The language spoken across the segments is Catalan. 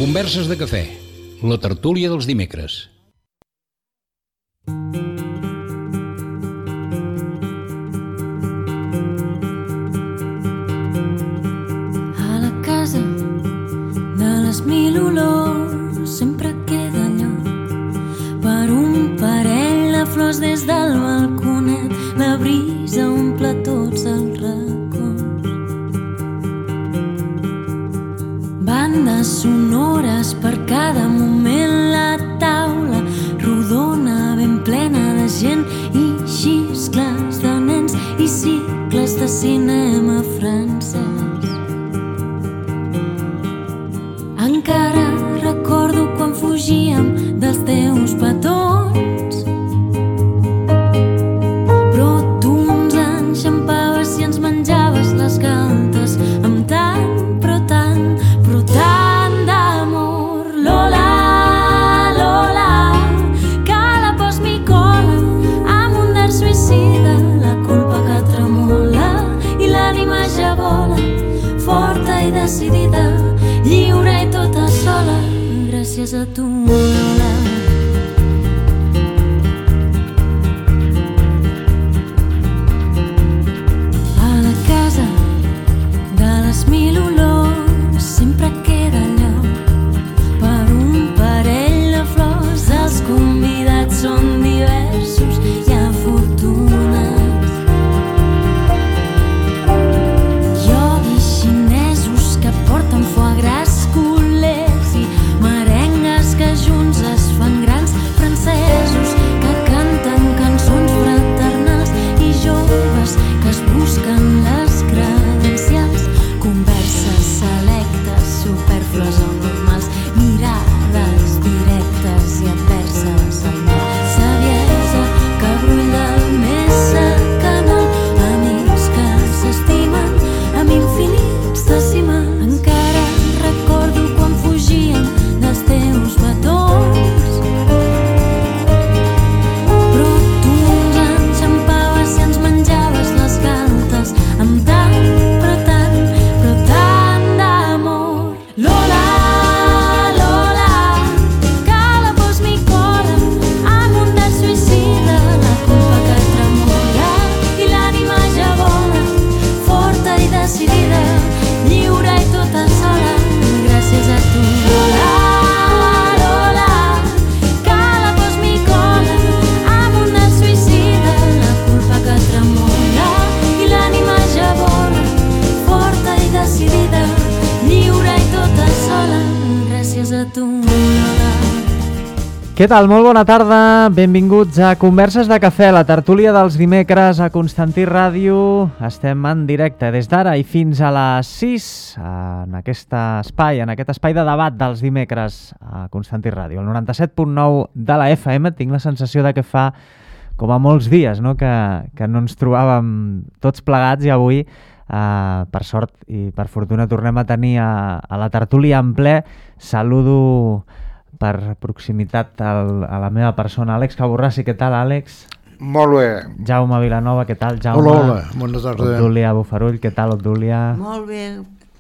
Converses de cafè, la tertúlia dels dimecres. A la casa de les mil olors sempre queda lloc per un parell de flors des del balconet. La brisa omple tots els racons. Bandes sonores per cada moment. La taula rodona ben plena de gent i xiscles de nens i cicles de cinema francès. Encara recordo quan fugíem dels teus petons, però tu ens enxampaves i ens menjaves les galtes amb tant, però tant d'amor. Lola, Lola, que la pos m'hi cola amb un dard suïcida, la culpa que tremola i l'ànima ja vola, forta i decidida, lliure i tota sola, gràcies a tu, Lola. A la casa de les mil olors sempre queda lloc per un parell de flors. Els convidats són diversos i afortunats. Ioguis xinesos que porten foie gras, culers i merengues que junts es fan grans, francesos que canten cançons fraternals i joves que es busquen les credencials. Converses selectes, superflues o normals, mirades directes i adverses al mar. Saviesa que brulla més canal, amics que s'estimen amb infinits decimals. Encara recordo quan fugíem dels teus petons, però tu ens enxampaves i ens menjaves les galtes amb tant, però tant d'amor. Lola, Lola, que la pos m'hi cola amb un dard suïcida, la culpa que tremola i l'ànima ja vola, forta i decidida, lliure i tota sola, gràcies a tu. Lola, Lola, que la pos m'hi cola amb un dard suïcida, la culpa que tremola i l'ànima ja vola, forta i decidida, lliure i tota sola, gràcies a tu, Lola. Què tal? Molt bona tarda, benvinguts a Converses de Cafè, la tertúlia dels dimecres a Constantí Ràdio. Estem en directe des d'ara i fins a les 6 en aquest espai de debat dels dimecres a Constantí Ràdio, el 97.9 de la FM. Tinc la sensació de que fa com a molts dies, no? que no ens trobàvem tots plegats i avui, per sort i per fortuna, tornem a tenir a la tertúlia en ple. Saludo per proximitat a la meva persona, Àlex Caborrassi. Què tal, Àlex? Molt bé. Jaume Vilanova, què tal, Jaume? Hola, bona tarda. Obdúlia Bufarull, què tal, Obdúlia? Molt bé,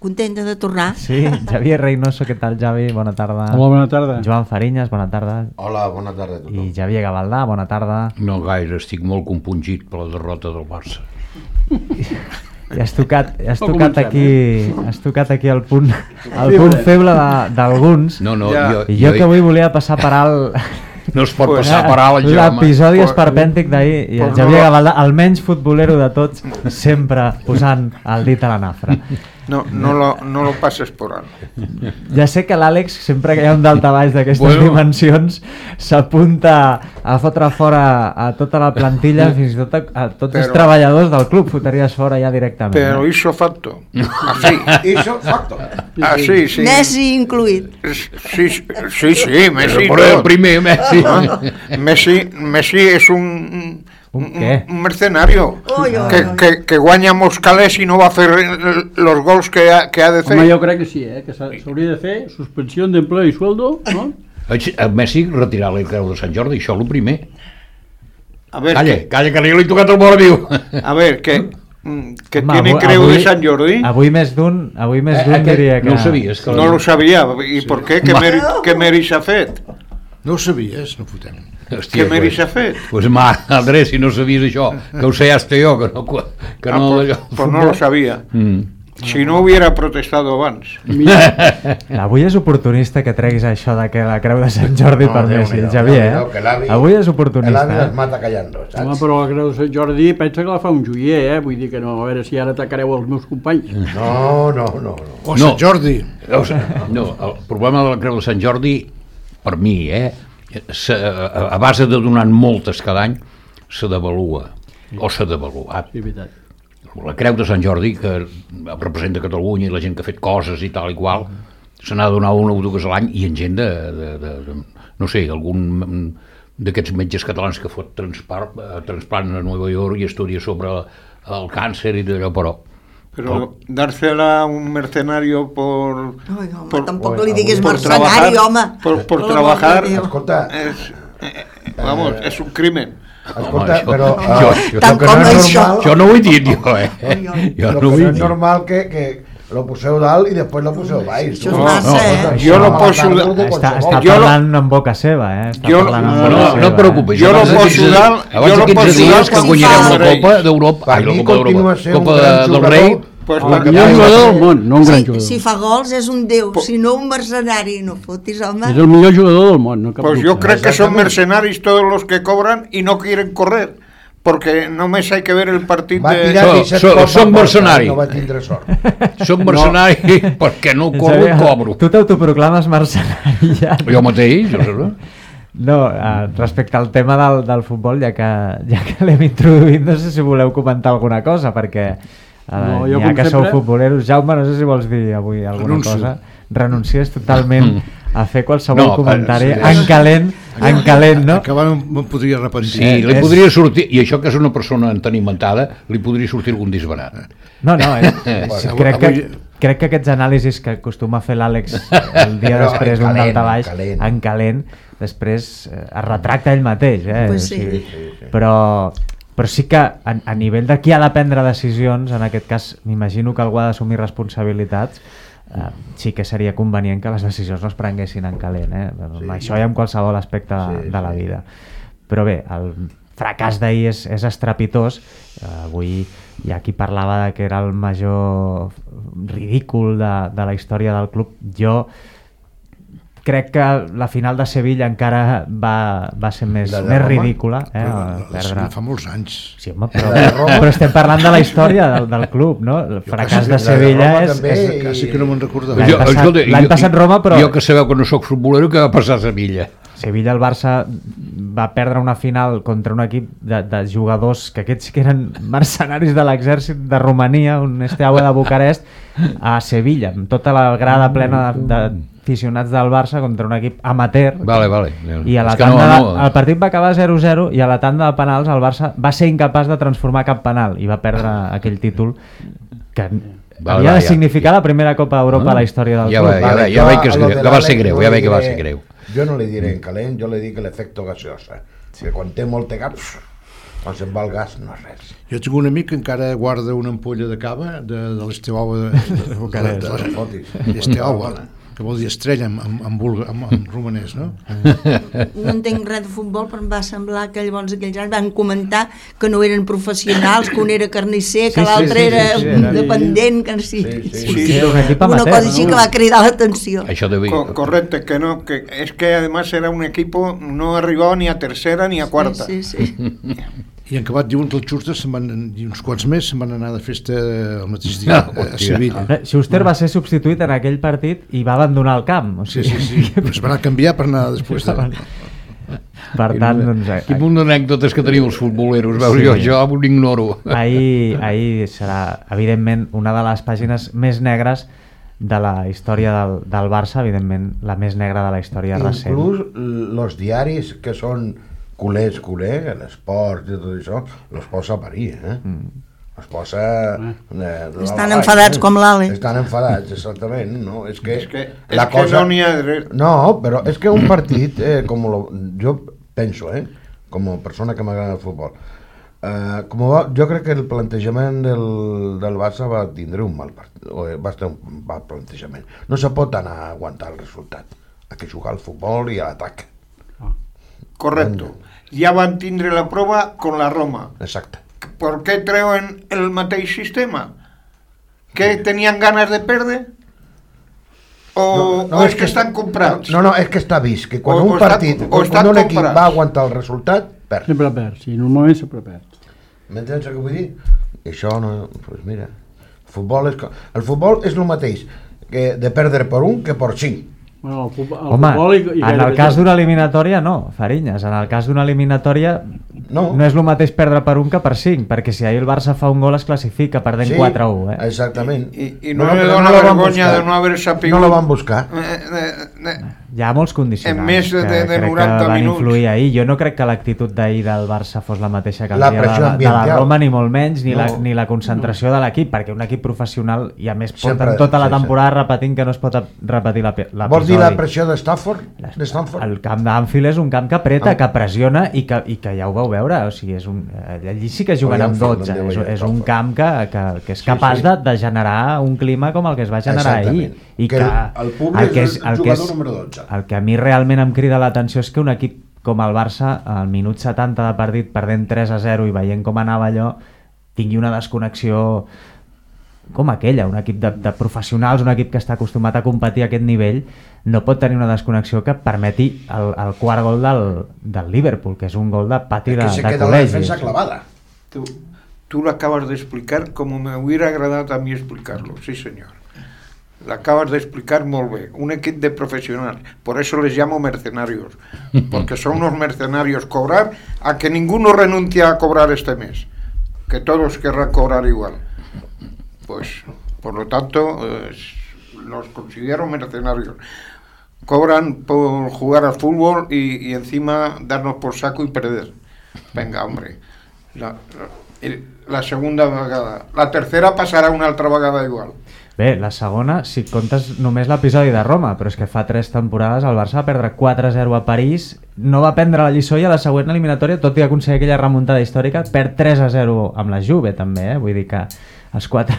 contenta de tornar. Sí, Javier Reynoso, què tal, Javi? Bona tarda. Hola, bona tarda. Joan Farinyes, bona tarda. Hola, bona tarda a tothom. I Javier Gavaldà, bona tarda. No gaire, estic molt compungit per la derrota del Barça. I has tocat aquí el punt feble d'alguns. No, Ja. I jo que avui volia passar per alt no es pot passar per alt, el Jaume. l'episodi esperpèntic d'ahir, i el Javier Gavaldà, el menys futbolero de tots, sempre posant el dit a la nafra. No lo pases por alto. Ja sé que l'Àlex, sempre que hi ha un daltabaix d'aquestes dimensions, s'apunta a fotre fora a tota la plantilla, fins i tot a tots els treballadors del club, fotries fora ja directament. Pero hizo facto. Así. Hizo facto. Así, sí. Messi incluït. Sí, Messi. Però el primer, Messi. Messi és un què? Un mercenario que guanya molts calés i no va fer los gols que ha de fer. Home, jo crec que sí, que s'hauria de fer suspensió d'empleo i sueldo, no? A Messi retirar la creu de Sant Jordi, això és el primer. A ver, Calla, que li he tocat el mort viu. a ver, que que tiene creu de Sant Jordi. Avui més d'un diria que... No ho sabies? Que No lo sabia. I per què? Què mèrit s'ha fet? No ho sabies, no fotem. Què mèrit s'ha fet? Pues madre, si no sabies això, que ho sé hasta jo, que no... Pues no lo sabia. Si no hubiera protestado abans. Avui és oportunista que treguis això de que la creu de Sant Jordi per Messi, Xavier, Avui és oportunista. L'avi es mata callando, saps? Home, però la creu de Sant Jordi pensa que la fa un joier, Vull dir que no, a veure si ara atacareu els meus companys. No. O Sant Jordi. No, el problema de la creu de Sant Jordi, per mi, a base de donar moltes cada any, se devalua, o s'ha devaluat. Sí, veritat. La creu de Sant Jordi, que representa Catalunya i la gent que ha fet coses i tal i qual, se n'ha de donar una o dues a l'any, i en gent no sé, algun d'aquests metges catalans que fot transplant a Nova York i estudia sobre el càncer i d'allò, Pero dársela a un mercenario por... Ai, home, tampoc li diguis mercenari, home. Por trabajar, Escolta, vamos, es un crimen. escolta, però... Tant com això. Jo no ho he dit, jo, Jo Lo no ho que he no és dit. normal que lo poseu dalt i després lo poseu baix. Això és massa, Jo no poso... Està Jo parlant en boca seva, Està Jo- parlant en no, boca No, seva, no et preocupis. Jo no abans de poso 15 dalt- abans jo de no 15 poso dies dalt que si guanyarem fa la Copa d'Europa, Per mi continua sent un Copa gran del jugador. Rei. Pues El perquè- millor jugador del món, no un gran Si jugador. fa gols és un déu, si no un mercenari, no fotis, home. És el millor jugador del món, no cap Pues dubte. yo creo que son mercenarios todos los que cobran y no quieren correr, porque només hay que ver el partido Va tirar So- 17 so- cops som a porta, mercenari. No va tindre sort. Soc mercenari perquè no corro i Xavier, cobro. Tu t'autoproclames mercenari ja. Jo mateix, jo sé. No, respecte al tema del futbol, ja que l'hem introduït, no sé si voleu comentar alguna cosa, perquè No, jo, ja com que sou sempre- futboleros, Jaume, no sé si vols dir avui alguna Renuncio. cosa. Renuncies totalment a fer qualsevol No, comentari sí. en calent, no? Acabar me'n podria repentir. Sí, li podria sortir, i això que és una persona entenimentada, li podria sortir algun disbarat. No, Bueno, crec que aquests anàlisis que acostuma a fer l'Àlex el dia Però després en d'un calent, daltabaix, en calent. en calent, després es retracta ell mateix, Pues sí. Però sí que a nivell de qui ha de prendre decisions, en aquest cas m'imagino que algú ha d'assumir responsabilitats, sí que seria convenient que les decisions no es prenguessin en calent, això hi ha en qualsevol aspecte de la vida. Però bé, el fracàs d'ahir és estrepitós. Avui hi ha qui parlava de que era el major ridícul de la història del club. Jo crec que la final de Sevilla encara va ser més Roma? ridícula. Fa molts anys. Sí, home, però estem parlant de la història del club, no? El fracàs de Sevilla és... Quasi que no me'n recordava. L'any passat Roma, però... Jo que sabeu que no sóc futbolero, què va passar a Sevilla? Sevilla, el Barça va perdre una final contra un equip de jugadors que aquests que eren mercenaris de l'exèrcit de Romania, un Steaua de Bucarest, a Sevilla, amb tota la grada plena d'aficionats del Barça contra un equip amateur. Vale. I a la tanda, el partit va acabar 0-0 i a la tanda de penals el Barça va ser incapaç de transformar cap penal i va perdre aquell títol que havia de significar la primera Copa d'Europa a la història del club. Ja veig que va ser greu, ja veig que va ser greu. Jo no li diré en calent, jo li dic l'efecte gaseosa. Que quan té molt de gas, quan se'n va el gas no és res. Jo tinc un amic que encara guarda una ampolla de cava de l'Esteaua Esteaua, que vol dir estrella en romanès, no? No entenc res de futbol, però em va semblar que llavors aquells anys van comentar que no eren professionals, que un era carnisser, que l'altre era dependent, que no sé. Una cosa així que va cridar l'atenció. Correcto, que no, que es que además era un equipo, no arribava ni a tercera ni a quarta. Sí. I en acabat diuen que els xustes i uns quants més se'n van anar de festa el mateix dia a Sevilla. Schuster va ser substituït en aquell partit i va abandonar el camp. O sigui, sí. Es van anar a canviar per anar després de... Per tant, doncs... Quin munt d'anècdotes que teniu els futboleros, veus, jo ho ignoro. Ahir serà, evidentment, una de les pàgines més negres de la història del Barça, evidentment, la més negra de la història recent. Inclús els diaris que són culers, l'esport i tot això, els posa a parir, els posa... Estan enfadats com l'Ale. Estan enfadats, exactament, no? És que no n'hi ha dret. No, però és que un partit, jo penso, com a persona que m'agrada el futbol, Jo crec que el plantejament del Barça va tindre un mal plantejament. No se pot anar a aguantar el resultat. Hay que jugar al futbol y al ataque. Correcto. Ya van tindre la prova con la Roma. Exacte. ¿Por qué treuen el mateix sistema? ¿Que tenien ganes de perdre? O és que estan comprats? No, és que està vist, que quan un partit, quan un equip va aguantar el resultat, perd. Sempre perd, sí, normalment sempre perd. M'entens el que vull dir? Això no... Pues mira, el futbol és el mateix que de perdre per un que per 5. Bueno, home, en el cas d'una eliminatòria no, Farinyes, en el cas d'una eliminatòria no és el mateix perdre per un que per 5, perquè si ahir el Barça fa un gol es classifica perdent 4-1. Exactament. I no li dona vergonya de no haver sapigut... No la van buscar. Hi ha molts condicionants més de 90 que van influir ahir. Jo no crec que l'actitud d'ahir del Barça fos la mateixa que el dia de la Roma, ni molt menys, ni la concentració de l'equip, perquè un equip professional, i a més porten tota la temporada repetint que no es pot repetir l'episodi. Vols dir la pressió de Stanford? El camp d'Anfield és un camp que apreta, que pressiona i que ja ho veu veure. O sigui, allí sí que juguen amb 12. És un camp que és capaç de generar un clima com el que es va generar ahir. I que el públic és el jugador número 12. El que a mi realment em crida l'atenció és que un equip com el Barça, al minut 70 de partit, perdent 3-0 i veient com anava allò, tingui una desconnexió com aquella, un equip de professionals, un equip que està acostumat a competir a aquest nivell, no pot tenir una desconnexió que permeti el quart gol del Liverpool, que és un gol de pati de col·legi. Que se queda la defensa clavada. Tú lo acabas de explicar como me hubiera agradado a mí explicarlo, sí señor. Lo acabas de explicar muy bien. Un equipo de profesionales, por eso les llamo mercenarios, porque son unos mercenarios. Cobrar a que ninguno renuncia a cobrar este mes, que todos querrán cobrar igual. Pues, por lo tanto, los considero mercenarios. Cobran por jugar al fútbol y encima darnos por saco y perder. Venga, hombre. La segunda vegada. La tercera passarà una altra vegada igual. Bé, la segona, si comptes només l'episodi de Roma, però és que fa 3 temporades el Barça va perdre 4-0 a París, no va prendre la lliçó i a la següent eliminatòria, tot i aconseguir aquella remuntada històrica, perd 3-0 amb la Juve també, vull dir que els 4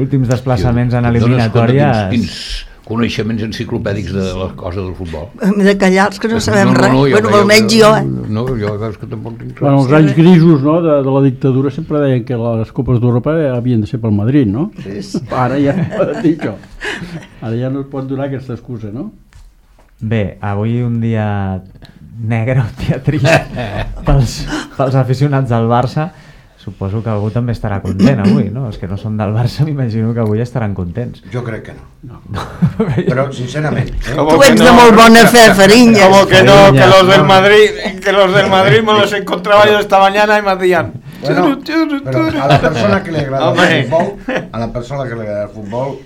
últims desplaçaments en eliminatòries... Quins coneixements enciclopèdics de les coses del futbol. De callar-los que no sabem res. Bueno, almenys jo, No, jo és que tampoc tinc res. Bueno, els anys grisos, no, de la dictadura sempre deien que les Copes d'Europa havien de ser pel Madrid, no? Sí. Ara ja no poden dir això. Ara ja no es pot donar aquesta excusa, no? Bé, avui un dia negre, un dia trist pels aficionats del Barça. Suposo que algú també estarà content avui, no? Els que no són del Barça m'imagino que avui estaran contents. Jo crec que no. Però sincerament... Tu ets de molt bona fe, Fariñas. Como que no, que los del Madrid me los encontraba yo esta mañana y me hacían... Bueno, pero a la persona que le agrada el fútbol,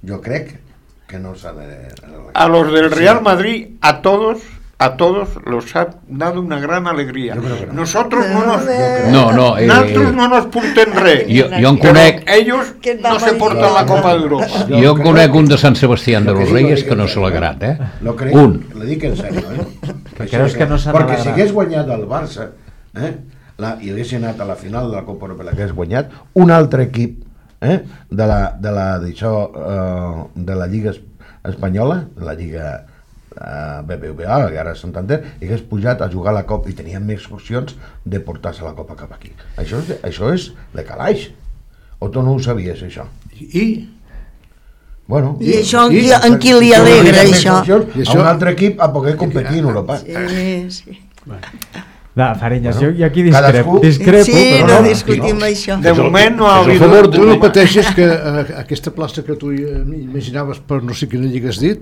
yo crec que no s'ha de... A los del Real Madrid, a todos los ha dado una gran alegría. Nosotros nosotros no nos porten res. Jo en conec... Ellos no se porten la Copa d'Europa. Jo en conec un de Sant Sebastián de los Reyes que no se l'ha agrat, Un. Lo dic en sèrio, Creus que no s'ha Perquè si hagués guanyat el Barça i hagués anat a la final de la Copa Europea, que hagués guanyat un altre equip de la Lliga Espanyola, de la Lliga BBVA, que ara és Santander, i hagués pujat a jugar a la Copa i tenien més opcions de portar-se la Copa cap aquí. Això és de calaix. O tu no ho sabies, això? Bueno, I això en qui li alegra, això? A un altre equip a poder competir en Europa. Sí. Fariñas, jo aquí discrepo, sí, però no discutim això. De moment no ha habido... Tu no pateixes que aquesta plaça que tu imaginaves per no sé quina lliga has dit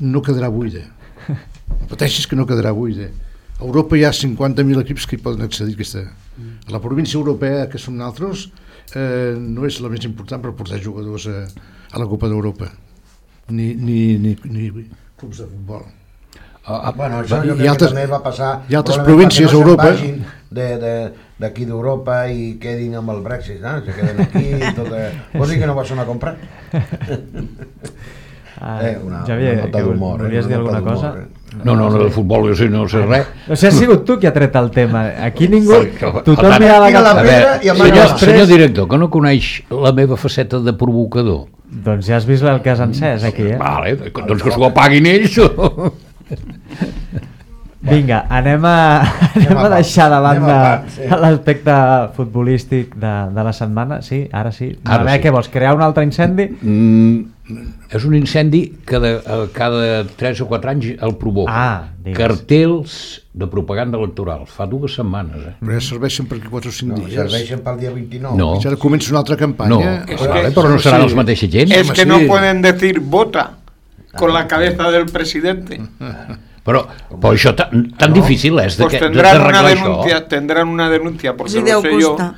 no quedarà buida. Pateixes que no quedarà buida. A Europa hi ha 50.000 equips que hi poden accedir. A la província europea, que som nosaltres, no és la més important per portar jugadors a la Copa d'Europa. Ni clubs de futbol. Bueno, això jo crec que també va passar. Hi ha altres províncies a Europa. D'aquí d'Europa i quedin amb el Brexit, se queden aquí i tot. Vols dir que no vas anar a comprar? Javier, que volies dir alguna cosa? No, de futbol jo no sé res. No sé, ha sigut tu qui ha tret el tema. Aquí ningú... Tothom Per tant, mirava tira la cap... pedra i amaga. Senyor director, que no coneix la meva faceta de provocador? Doncs ja has vist el que has encès aquí, Vale, doncs que s'ho apaguin ells. Vinga, anem a deixar de banda l'aspecte futbolístic de la setmana. Sí, ara sí. A veure, què vols, crear un altre incendi? És un incendi que cada 3 o 4 anys el provoca. digues. Cartells de propaganda electoral. Fa 2 setmanes. Però ja serveixen per aquí 4 o 5 dies. Serveixen pel dia 29. No. I ara comença una altra No, campanya. però no seran els mateixos gent. Es que no pueden decir vota con la cabeza del presidente. Però això tan difícil és Pues tendrán una denuncia porque Si lo deu sé yo. costar.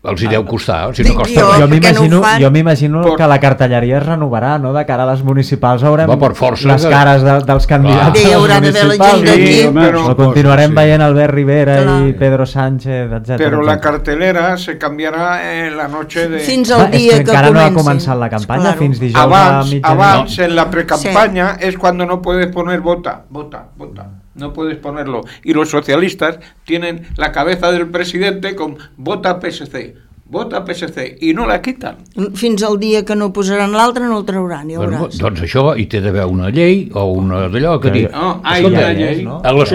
Els hi deu costar, si no Dic costa jo. res. Per què no ho fan? Jo m'imagino que la cartelleria es renovarà, no? De cara a les municipals haurem Va, per força les que- cares dels candidats Hi a les haurà d'haver la gent municipals. d'aquí. Sí, pero, O continuarem veient Albert Rivera Clar. i Pedro Sánchez, etc. pero la cartelera se cambiará en la noche de... Fins Clar, al és dia que que encara no ha comenci. començat la campanya, Claro. fins dijous a mitjanit. Avance en la precampaña es cuando no puedes poner vota. No puedes ponerlo. Y los socialistas tienen la cabeza del presidente con vota PSC y no la quitan. Fins al dia que no posaran l'altre no el trauran, ja Bueno, veuràs. doncs això hi té d'haver una llei o una d'allò que digui No, hay escolta, una llei. no? a les,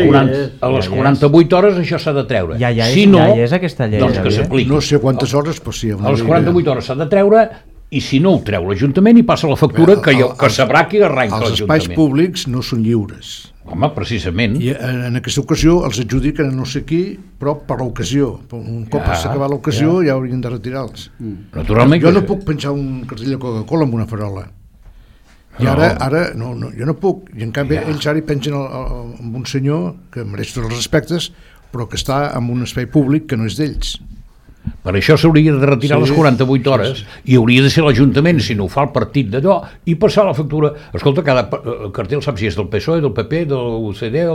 Sí, 48 hores això s'ha de treure. Ja és, Si no, ja és aquesta llei, doncs que Xavier. s'apliqui. No sé quantes hores, però sí. A les 48 hores s'ha de treure i si no ho treu l'Ajuntament i passa la factura que sabrà qui arrenca Els espais l'Ajuntament. públics no són lliures. Home, precisament. I en aquesta ocasió els adjudiquen a no sé qui, però per l'ocasió. Un cop s'ha acabat l'ocasió ja haurien de retirar-los. Naturalment Jo que no puc penjar un cartell de Coca-Cola amb una farola. I ara no, jo no puc. I en canvi ells ara hi pengen amb un senyor que mereix tots els respectes, però que està en un espai públic que no és d'ells. Per això s'hauria de retirar les 48 hores i hauria de ser l'Ajuntament, si no ho fa el partit d'allò, i passar la factura. Escolta, cada cartell sap si és del PSOE, del PP, del UCD o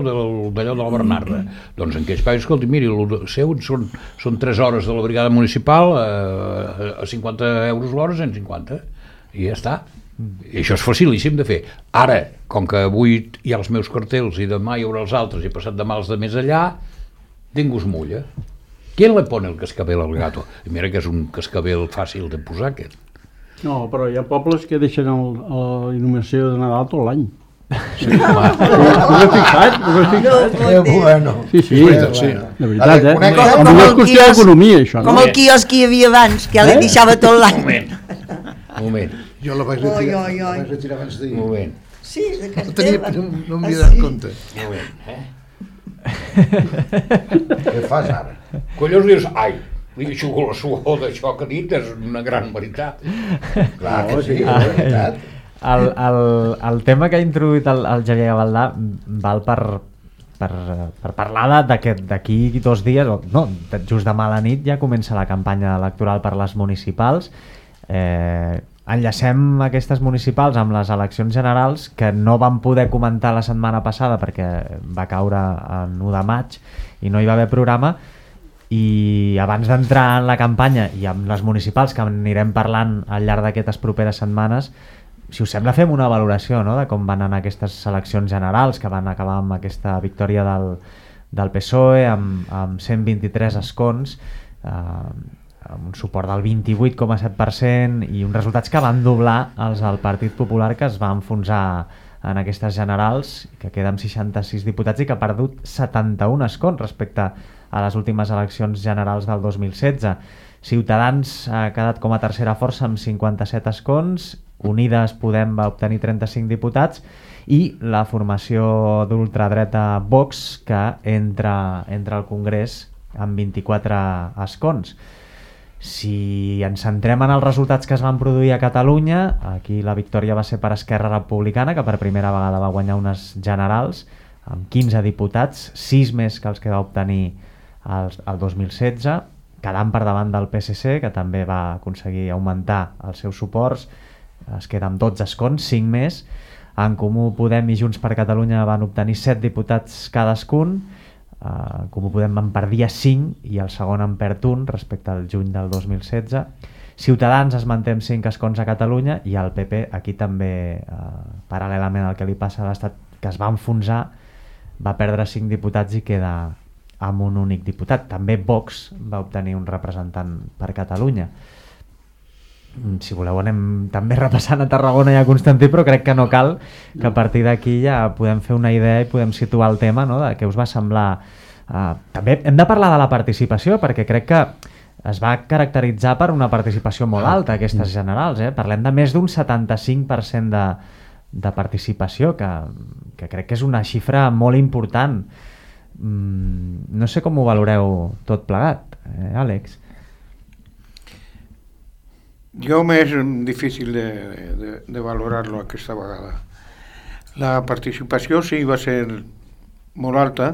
d'allò de la Bernarda. Doncs en aquells països, escolti, miri, el seu són 3 hores de la brigada municipal a 50 euros l'hora, 150, i ja està. I això és facilíssim de fer. Ara, com que avui hi ha els meus cartells i demà hi haurà els altres i passat demà els de més allà, ningú es mulla. ¿Quién le pone el cascabel al gato? I mira que és un cascabel fàcil de posar, aquest. No, però hi ha pobles que deixen la il·luminació de Nadal tot l'any. Sí, home, No m'he fixat? Bueno. Sí, sí, veritat, sí. de veritat, eh? Conec- A Com mi és el qüestió quiosc- d'economia, això. Com No? el quiosc que hi havia abans, que ja li deixava tot l'any. un moment. Jo la vaig retirar abans d'ahir. Un moment. Sí, de casa No, tenia, teva. no m'hi he dat compte. Un moment, Què fas ara? Collons dius, ai, li aixugo la suor d'això que ha dit, és una gran veritat. Clar que sí, és veritat. El tema que ha introduït el Xavier Gavaldà val per parlar d'aquí 2 dies, o no, just demà a la nit ja comença la campanya electoral per les municipals. Enllacem aquestes municipals amb les eleccions generals que no vam poder comentar la setmana passada perquè va caure en 1 de maig i no hi va haver programa, i abans d'entrar en la campanya i amb les municipals que anirem parlant al llarg d'aquestes properes setmanes, si us sembla fem una valoració, no?, de com van anar aquestes eleccions generals que van acabar amb aquesta victòria del PSOE amb 123 escons, amb un suport del 28,7% i uns resultats que van doblar els del Partit Popular, que es va enfonsar en aquestes generals, que queda amb 66 diputats i que ha perdut 71 escons respecte a les últimes eleccions generals del 2016. Ciutadans ha quedat com a tercera força amb 57 escons, Unides Podem va obtenir 35 diputats i la formació d'ultradreta Vox, que entra al Congrés amb 24 escons. Si ens centrem en els resultats que es van produir a Catalunya, aquí la victòria va ser per Esquerra Republicana, que per primera vegada va guanyar unes generals amb 15 diputats, 6 més que els que va obtenir el 2016, quedant per davant del PSC, que també va aconseguir augmentar els seus suports, es queda amb 12 escons, 5 més. En Comú Podem i Junts per Catalunya van obtenir 7 diputats cadascun, Comú Podem en perdia 5 i el segon en perd 1 respecte al juny del 2016. Ciutadans es manté amb 5 escons a Catalunya i el PP aquí també, paral·lelament al que li passa a l'Estat, que es va enfonsar va perdre 5 diputats i queda amb un únic diputat. També Vox va obtenir un representant per Catalunya. Si voleu anem també repassant a Tarragona i a Constantí, però crec que no cal, que a partir d'aquí ja podem fer una idea i podem situar el tema, no?, de què us va semblar. També hem de parlar de la participació, perquè crec que es va caracteritzar per una participació molt alta, aquestes generals. Parlem de més d'un 75% de participació, que crec que és una xifra molt important. No sé com ho valoreu tot plegat, Àlex. Jo m'és difícil de valorar-lo aquesta vegada. La participació sí va ser molt alta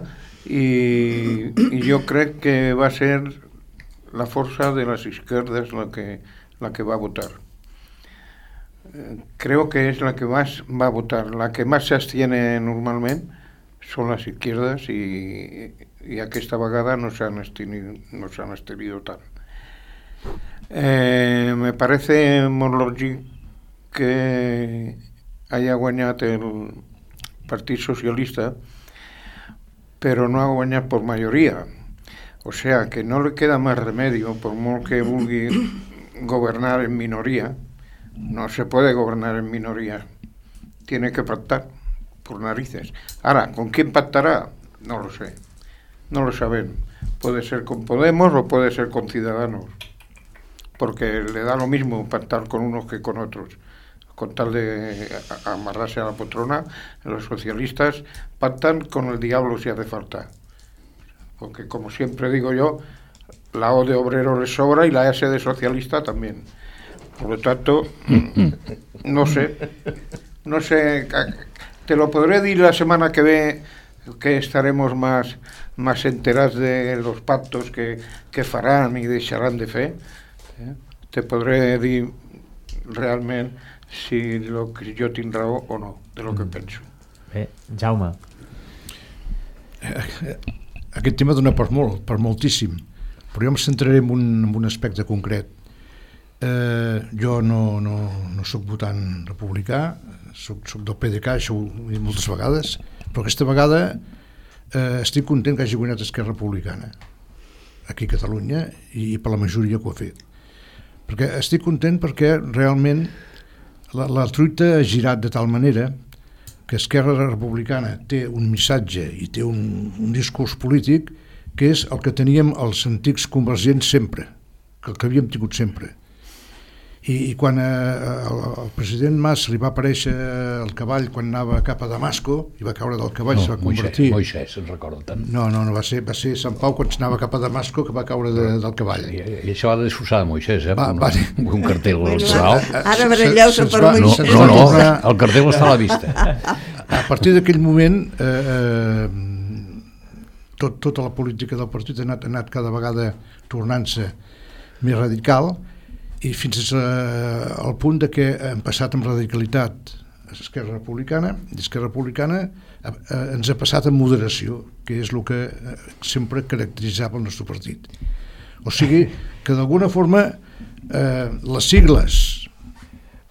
i jo crec que va ser la força de les izquierdas la que va votar. Creo que es la que más va a votar. La que más se abstiene normalment son las izquierdas y aquesta vegada no s'han abstenido tant. Me parece molt lògic que haya guanyat el Partit Socialista, però no ha guanyat por mayoría. O sea, que no le queda más remedio, por molt que vulgui gobernar en minoría, no se puede gobernar en minoría. Tiene que pactar, por narices. Ahora, ¿con quién pactará? No lo sé. No lo saben. Puede ser con Podemos o puede ser con Ciudadanos. Porque le da lo mismo pactar con unos que con otros. Con tal de amarrarse a la poltrona, los socialistas pactan con el diablo si hace falta. Porque, como siempre digo yo, la O de obrero les sobra y la S de socialista también. Por lo tanto, no sé, te lo podré decir la semana que ve, que estaremos más enterados de los pactos que faran y deixaran de fer. Te podré dir realment si jo tinc raó o no de lo que penso. Bé, Jaume. Aquest tema dona per molt, per moltíssim, però jo em centraré en un aspecte concret. Jo no soc votant republicà, soc del PDeCAT, això ho he dit moltes vegades, però aquesta vegada estic content que hagi guanyat Esquerra Republicana aquí a Catalunya i per la majoria que ho ha fet. Perquè estic content perquè realment la truita ha girat de tal manera que Esquerra Republicana té un missatge i té un discurs polític que és el que teníem els antics convergents sempre, que el que havíem tingut sempre. I quan el president Mas li va aparèixer el cavall quan anava cap a Damasco i va caure del cavall, se va convertir... Moisès, se'n recorda tant. No, va ser Sant Pau quan anava cap a Damasco que va caure del cavall. I això va desfossar de Moisès, un cartell electoral. Ara baralleu-se per Moisès. No, el cartell està a la vista. A partir d'aquell moment tota la política del partit ha anat cada vegada tornant-se més radical i fins al punt de que hem passat amb radicalitat a Esquerra Republicana i Esquerra Republicana ens ha passat amb moderació, que és el que sempre caracteritzava el nostre partit. O sigui que d'alguna forma les sigles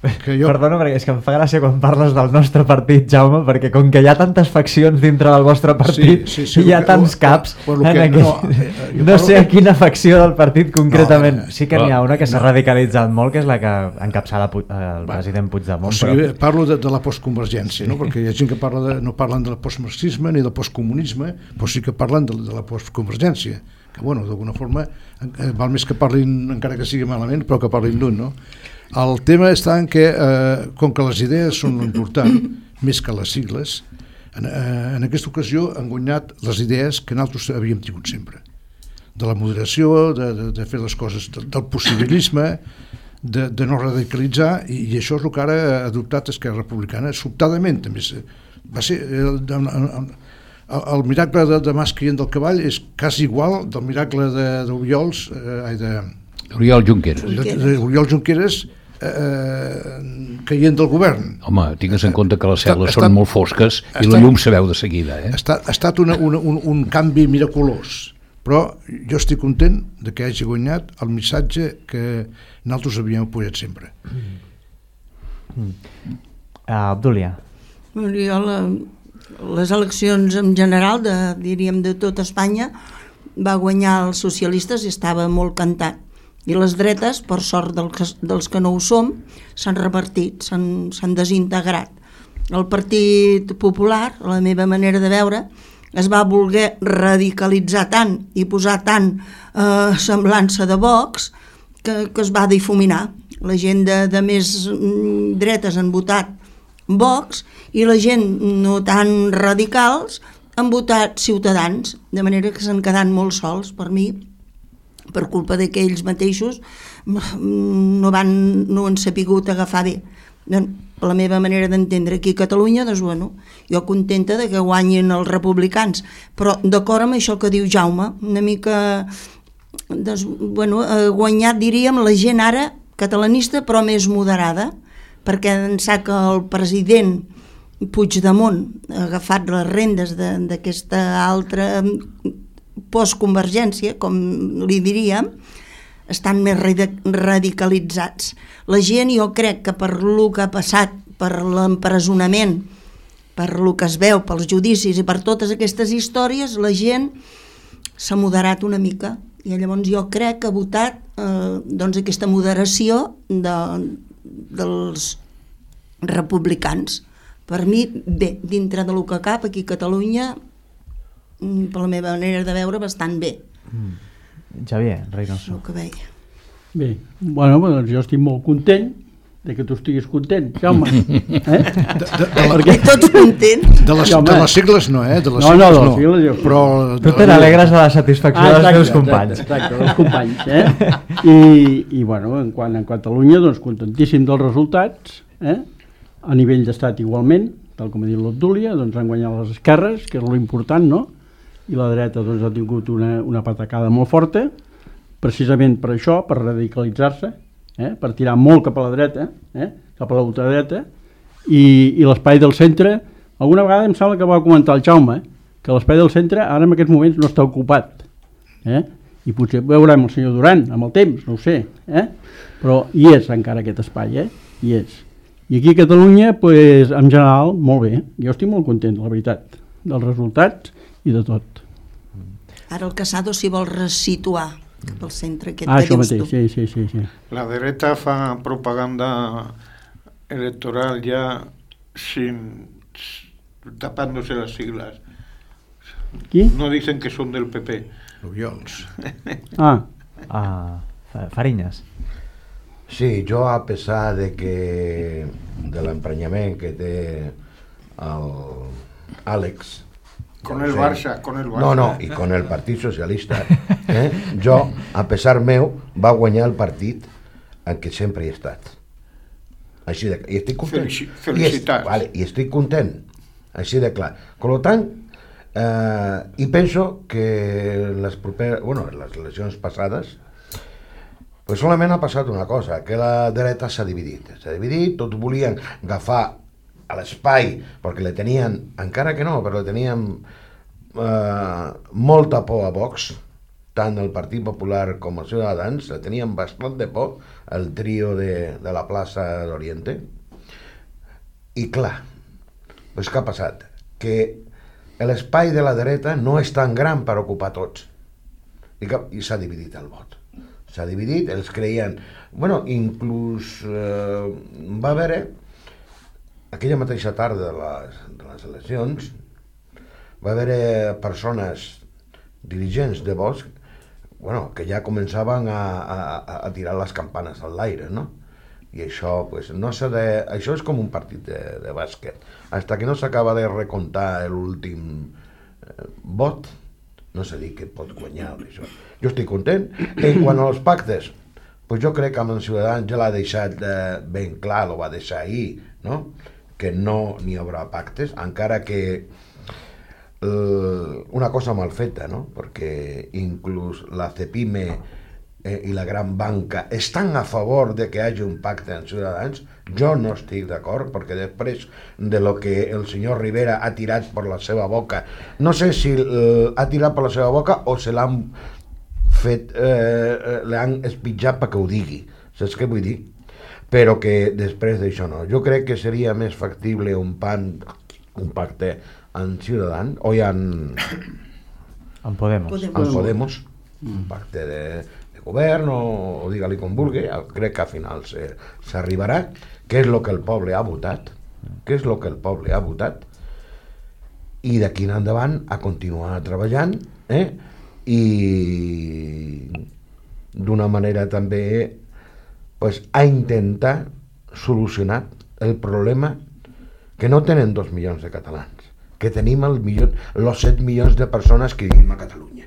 Perdona, perquè és que em fa gràcia quan parles del nostre partit, Jaume, perquè com que hi ha tantes faccions dintre del vostre partit i hi ha tants caps, no sé a quina facció del partit concretament. Sí que n'hi ha una que s'ha radicalitzat molt, que és la que encapçala el president Puigdemont. O sigui, parlo de la postconvergència, perquè hi ha gent que no parlen del postmarxisme ni del postcomunisme, però sí que parlen de la postconvergència, que d'alguna forma val més que parlin, encara que sigui malament, però que parlin d'un, no? El tema està en que, com que les idees són l'important, més que les sigles, en aquesta ocasió han guanyat les idees que nosaltres havíem tingut sempre. De la moderació, de fer les coses, del possibilisme, de no radicalitzar, i això és el que ara ha adoptat Esquerra Republicana, sobtadament també. Va ser el miracle de Mas caient del cavall és quasi igual del miracle d'Oriol Junqueras. Oriol Junqueras caient del govern. Home, tingues en compte que les cel·les són molt fosques i la llum se veu de seguida. Ha estat un canvi miraculós, però jo estic content de que hagi guanyat el missatge que nosaltres havíem apoyat sempre. Obdúlia. Jo les eleccions en general, diríem de tota Espanya, va guanyar els socialistes i estava molt cantat. I les dretes, per sort dels que no ho som, s'han repartit, s'han desintegrat. El Partit Popular, la meva manera de veure, es va voler radicalitzar tant i posar tant semblança de Vox que es va difuminar. La gent de més dretes han votat Vox i la gent no tan radicals han votat Ciutadans, de manera que s'han quedat molt sols, per mi, per culpa que ells mateixos no han sapigut agafar bé. Per la meva manera d'entendre aquí a Catalunya, doncs, bueno, jo contenta de que guanyin els republicans, però d'acord amb això que diu Jaume, una mica, doncs, bueno, guanyat, diríem, la gent ara catalanista, però més moderada, perquè ençà que el president Puigdemont ha agafat les rendes d'aquesta altra postconvergència, com li diríem, estan més radicalitzats. La gent, jo crec que per lo que ha passat, per l'empresonament, per lo que es veu, pels judicis i per totes aquestes històries, la gent s'ha moderat una mica i llavors jo crec que ha votat doncs aquesta moderació dels republicans. Per mi, bé, dintre de lo que cap aquí a Catalunya, per la meva manera de veure, bastant bé. Javier Reynoso. El que veia. Bé, bueno, doncs jo estic molt content de que tu estiguis content, Jaume. Perquè tots contents. De les sigles no, de les no, sigles no. Sigles, però... Tu te n'alegres de la satisfacció dels teus companys. Exacte, dels companys. I bueno, en quant a Catalunya, doncs contentíssim dels resultats, a nivell d'estat igualment, tal com ha dit l'Obdúlia, doncs han guanyat les esquerres, que és l'important, no? I la dreta doncs ha tingut una patacada molt forta, precisament per això, per radicalitzar-se, per tirar molt cap a la dreta, cap a l'ultradreta, i l'espai del centre, alguna vegada em sembla que va comentar el Jaume, que l'espai del centre ara en aquests moments no està ocupat, i potser veurem el senyor Duran amb el temps, no ho sé, però hi és encara aquest espai, hi és. I aquí a Catalunya, pues, en general, molt bé. Jo estic molt content, la veritat, dels resultats i de tot. Ara el Casado s'hi vol resituar cap al centre aquest que dius tu. Sí. La dreta fa propaganda electoral ya tapándose las siglas. ¿Qui? No dicen que son del PP. Obiols. Fariñas. Sí, jo a pesar de l'emprenyament que té l'Àlex con el Barça. No, i con el Partit Socialista, jo, a pesar meu, va guanyar el partit en què sempre he estat. Així de, i estic content. Felicitats. I estic content, així de clar. Per tant, i penso que les eleccions passades, pues solament ha passat una cosa, que la dreta s'ha dividit, tots volien agafar a l'espai, perquè le tenien, encara que no, però le tenien molta por a Vox, tant el Partit Popular com els Ciutadans, le tenien bastant de por, el trio de la plaça d'Oriente, i clar, pues què ha passat? Que l'espai de la dreta no és tan gran per ocupar tots, i s'ha dividit el vot. S'ha dividit, els creien... Bueno, inclús va haver aquella mateixa tarda de les eleccions, va haver persones, dirigents de Vox, que ja començaven a tirar les campanes a l'aire, no? I això, pues, no s'ha de... Això és com un partit de bàsquet. Hasta que no s'acaba de recomptar l'últim vot, no sé dir que pot guanyar això. Jo estic content. En quant als pactes, pues jo crec que amb els Ciutadans ja l'ha deixat ben clar, lo va deixar ahir, no? Que no n'hi haurà pactes, encara que una cosa mal feta, no? Perquè inclús la CEPIME i la gran banca estan a favor de que hi hagi un pacte amb Ciutadans. Jo no estic d'acord, perquè després de lo que el senyor Rivera ha tirat per la seva boca, no sé si ha tirat per la seva boca o se l'han fet, l'han espitjat perquè ho digui, saps què vull dir? Però que després d'això no. Jo crec que seria més factible un pacte en Ciutadans o hi ha en Podemos, un pacte de govern o digue-li com vulgui, crec que al final s'arribarà. Què és el que el poble ha votat? Què és el que el poble ha votat? I d'aquí en endavant a continuar treballant i d'una manera també a intentar solucionar el problema que no tenen 2 milions de catalans, que tenim els 7 milions de persones que vivim a Catalunya.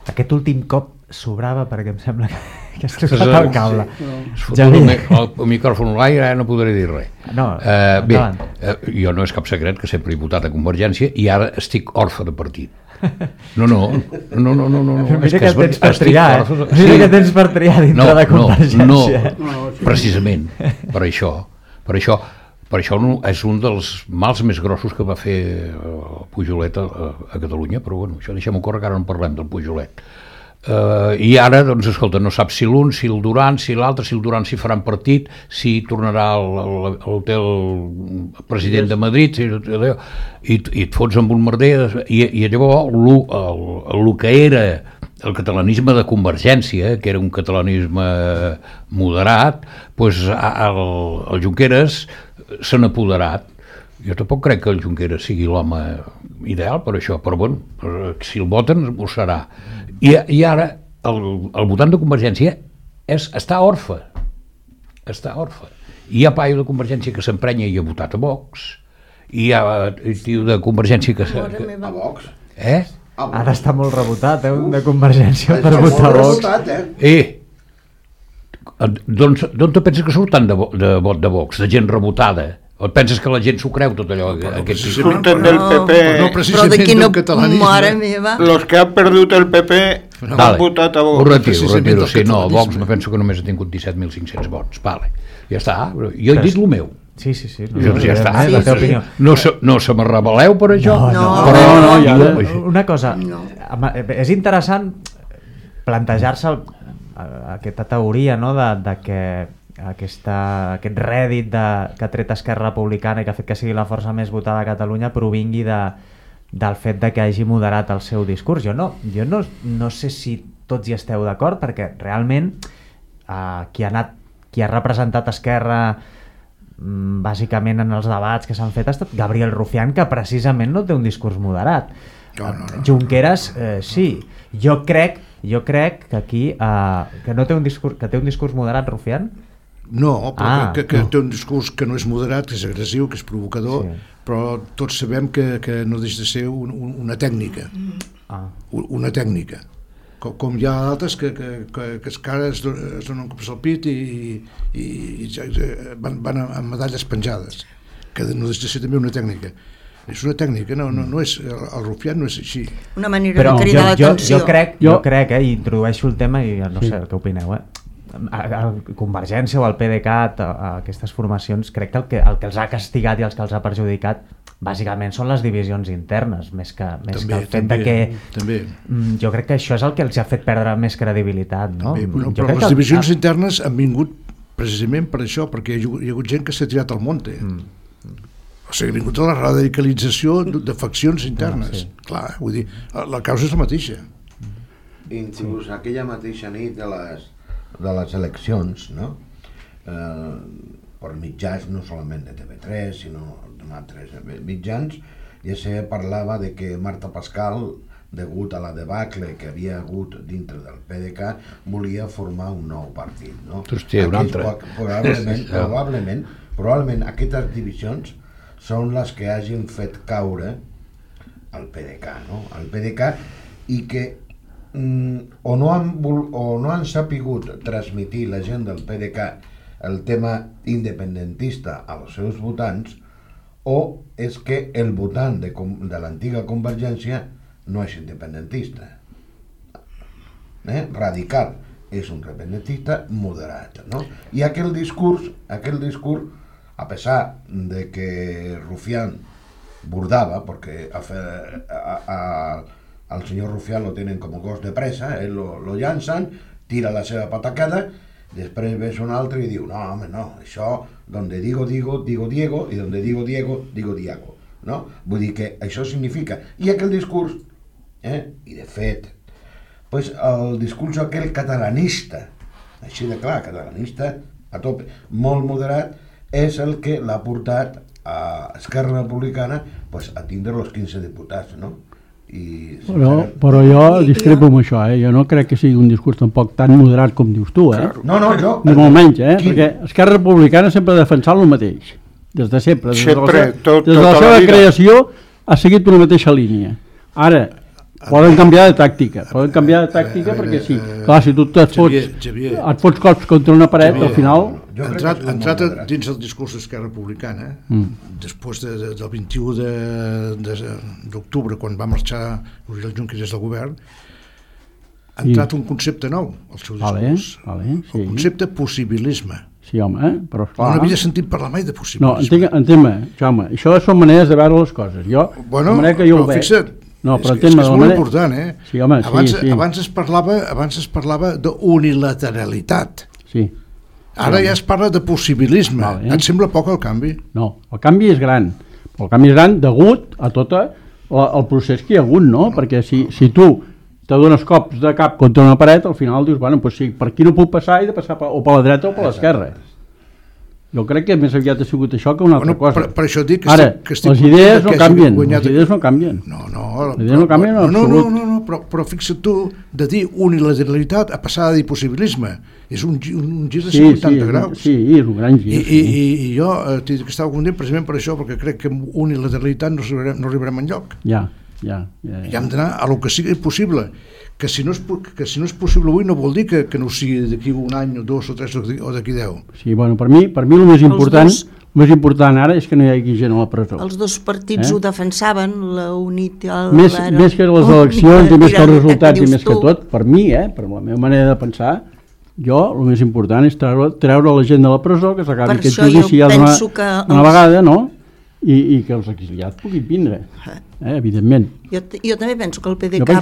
Aquest últim cop sobrava perquè em sembla que has trucat el cable. El micròfon a l'aire, no podré dir res. No, jo no és cap secret que sempre he votat a Convergència i ara estic orfe de partit. No. Mira que tens per triar, Mira que tens per triar dintre de Convergència. No, precisament, per això és un dels mals més grossos que va fer Pujolet a Catalunya, però bueno, això deixem-ho córrer, que ara no parlem del Pujolet. I ara, doncs, escolta, no saps si l'un, si el Duran, si l'altre, si el Duran s'hi faran partit, si tornarà el president de Madrid, i et fots amb un merder, i llavors el que era el catalanisme de Convergència, que era un catalanisme moderat, doncs el Junqueras se n'ha apoderat. Jo tampoc crec que el Junqueras sigui l'home ideal per això, però bueno, si el voten ho serà. I ara el votant de Convergència està orfe. Hi ha paio de Convergència que s'emprenya i ha votat a Vox, i hi ha tio de Convergència que... A Vox? Ha d'estar molt rebotat, un de Convergència per votar a Vox. D'on te penses que surt tant de vot de Vox, de gent rebotada? O et penses que la gent s'ho creu tot allò? Surten del PP, però d'aquí no, mare meva. Los que han perdut el PP han votat a Vox. Ho retiro, sí, no, Vox me penso que només ha tingut 17.500 vots, vale, ja està, jo he dit el meu. Sí. Ja està. No se me rebel·leu per això? No. Una cosa, és interessant plantejar-se aquesta teoria, no?, de que aquest rèdit que ha tret Esquerra Republicana i que ha fet que sigui la força més votada a Catalunya provingui del fet de que hagi moderat el seu discurs. Jo no sé si tots hi esteu d'acord, perquè realment qui ha representat Esquerra bàsicament en els debats que s'han fet ha estat Gabriel Rufián, que precisament no té un discurs moderat. No. Junqueras sí. Jo crec que aquí que no té un discurs, que té un discurs moderat, Rufián. No, però que té un discurs que no és moderat, que és agressiu, que és provocador, però tots sabem que no deixa de ser una tècnica. Una tècnica. Com hi ha altres que encara es donen cops al pit i van amb medalles penjades, que no deixa de ser també una tècnica. És una tècnica, no és, el Rufián no és així. Una manera de cridar l'atenció. Jo crec, i introdueixo el tema i no sé què opineu, a Convergència o al PDeCAT, a aquestes formacions, crec que el que els ha castigat i els que els ha perjudicat bàsicament són les divisions internes, més que el fet de que... Jo crec que això és el que els ha fet perdre més credibilitat, no? Però les divisions internes han vingut precisament per això, perquè hi ha hagut gent que s'ha tirat al monte. O sigui, ha vingut a la radicalització de faccions internes. Clar, vull dir, la causa és la mateixa. Inclús aquella mateixa nit de les eleccions, no? Per mitjans, no solament de TV3, sinó d'altres mitjans, ja se parlava de que Marta Pascal, degut a la debacle que havia hagut dintre del PDeCAT, volia formar un nou partit, no? Hòstia, un altre. Probablement aquestes divisions són les que hagin fet caure el PDeCAT, no? El PDeCAT, i que o no han sapigut transmitir la gent del PDeCAT el tema independentista als seus votants, o és que el votant de l'antiga Convergència no és independentista. Radical és un independentista moderat, no? I aquell discurs, a pesar de que Rufián burdava, porque al senyor Rufián lo tienen como gos de presa, lo llancen, tira la seva patacada, després ves un altre i diu, no, home, no, això, donde digo Diego, i donde digo Diego, digo Diego. no? Vull dir que això significa... I aquell discurs, i de fet, pues, el discurs aquell catalanista, així de clar, catalanista, a tope, molt moderat, és el que l'ha portat a Esquerra Republicana pues, a tindre els 15 diputats, no? Però jo discrepo amb això, jo no crec que sigui un discurs tampoc tan moderat com dius tu, No, jo... Ni molt menys, perquè Esquerra Republicana sempre ha defensat el mateix, des de sempre, des de la seva creació ha seguit una mateixa línia. Ara, poden canviar de tàctica, perquè sí, clar, si tu et fots cops contra una paret, al final... Entrat dins el discurs d'Esquerra Republicana, després del 21 d'octubre, quan va marxar Oriol Junqueras del govern, ha entrat un concepte nou al seu discurs, el concepte possibilisme. Sí, home, però esclar... No havia sentit parlar mai de possibilisme. No, entén-me, Jaume, això són maneres de veure les coses. Jo, bueno, però fixa't, és molt important, Sí, home, abans es parlava d'unilateralitat. Sí. Ara ja es parla de possibilisme. Et sembla poc el canvi? No, el canvi és gran. El canvi és gran degut a tot el procés que hi ha hagut, no? Perquè si tu te dones cops de cap contra una paret, al final dius, bueno, doncs sí, per aquí no puc passar, he de passar o per la dreta o per l'esquerra. Jo crec que més aviat ha sigut això que una altra cosa. Per això dic que ara, les idees no canvien, les idees no canvien. Les idees no canvien en absolut. Però fixa't tu, de dir unilateralitat a passar a dir possibilisme, és un gir de 180 graus. Sí, és un gran gir. I jo estava content precisament per això, perquè crec que amb unilateralitat no arribarem enlloc. Ja. I hem d'anar a lo que sigui possible. Que si no és possible avui no vol dir que no ho sigui d'aquí un any o dos o tres o d'aquí 10. Sí, bueno, per mi el més important ara és que no hi hagi gent a la presó. Els dos partits ho defensaven, la UNIT... Més que les eleccions i més que els resultats i més que tot, per mi, per la meva manera de pensar, jo el més important és treure la gent de la presó, que s'acabi aquest judici ja d'una vegada, no? I que els exiliats puguin vindre, evidentment. Jo també penso que el PDeCAT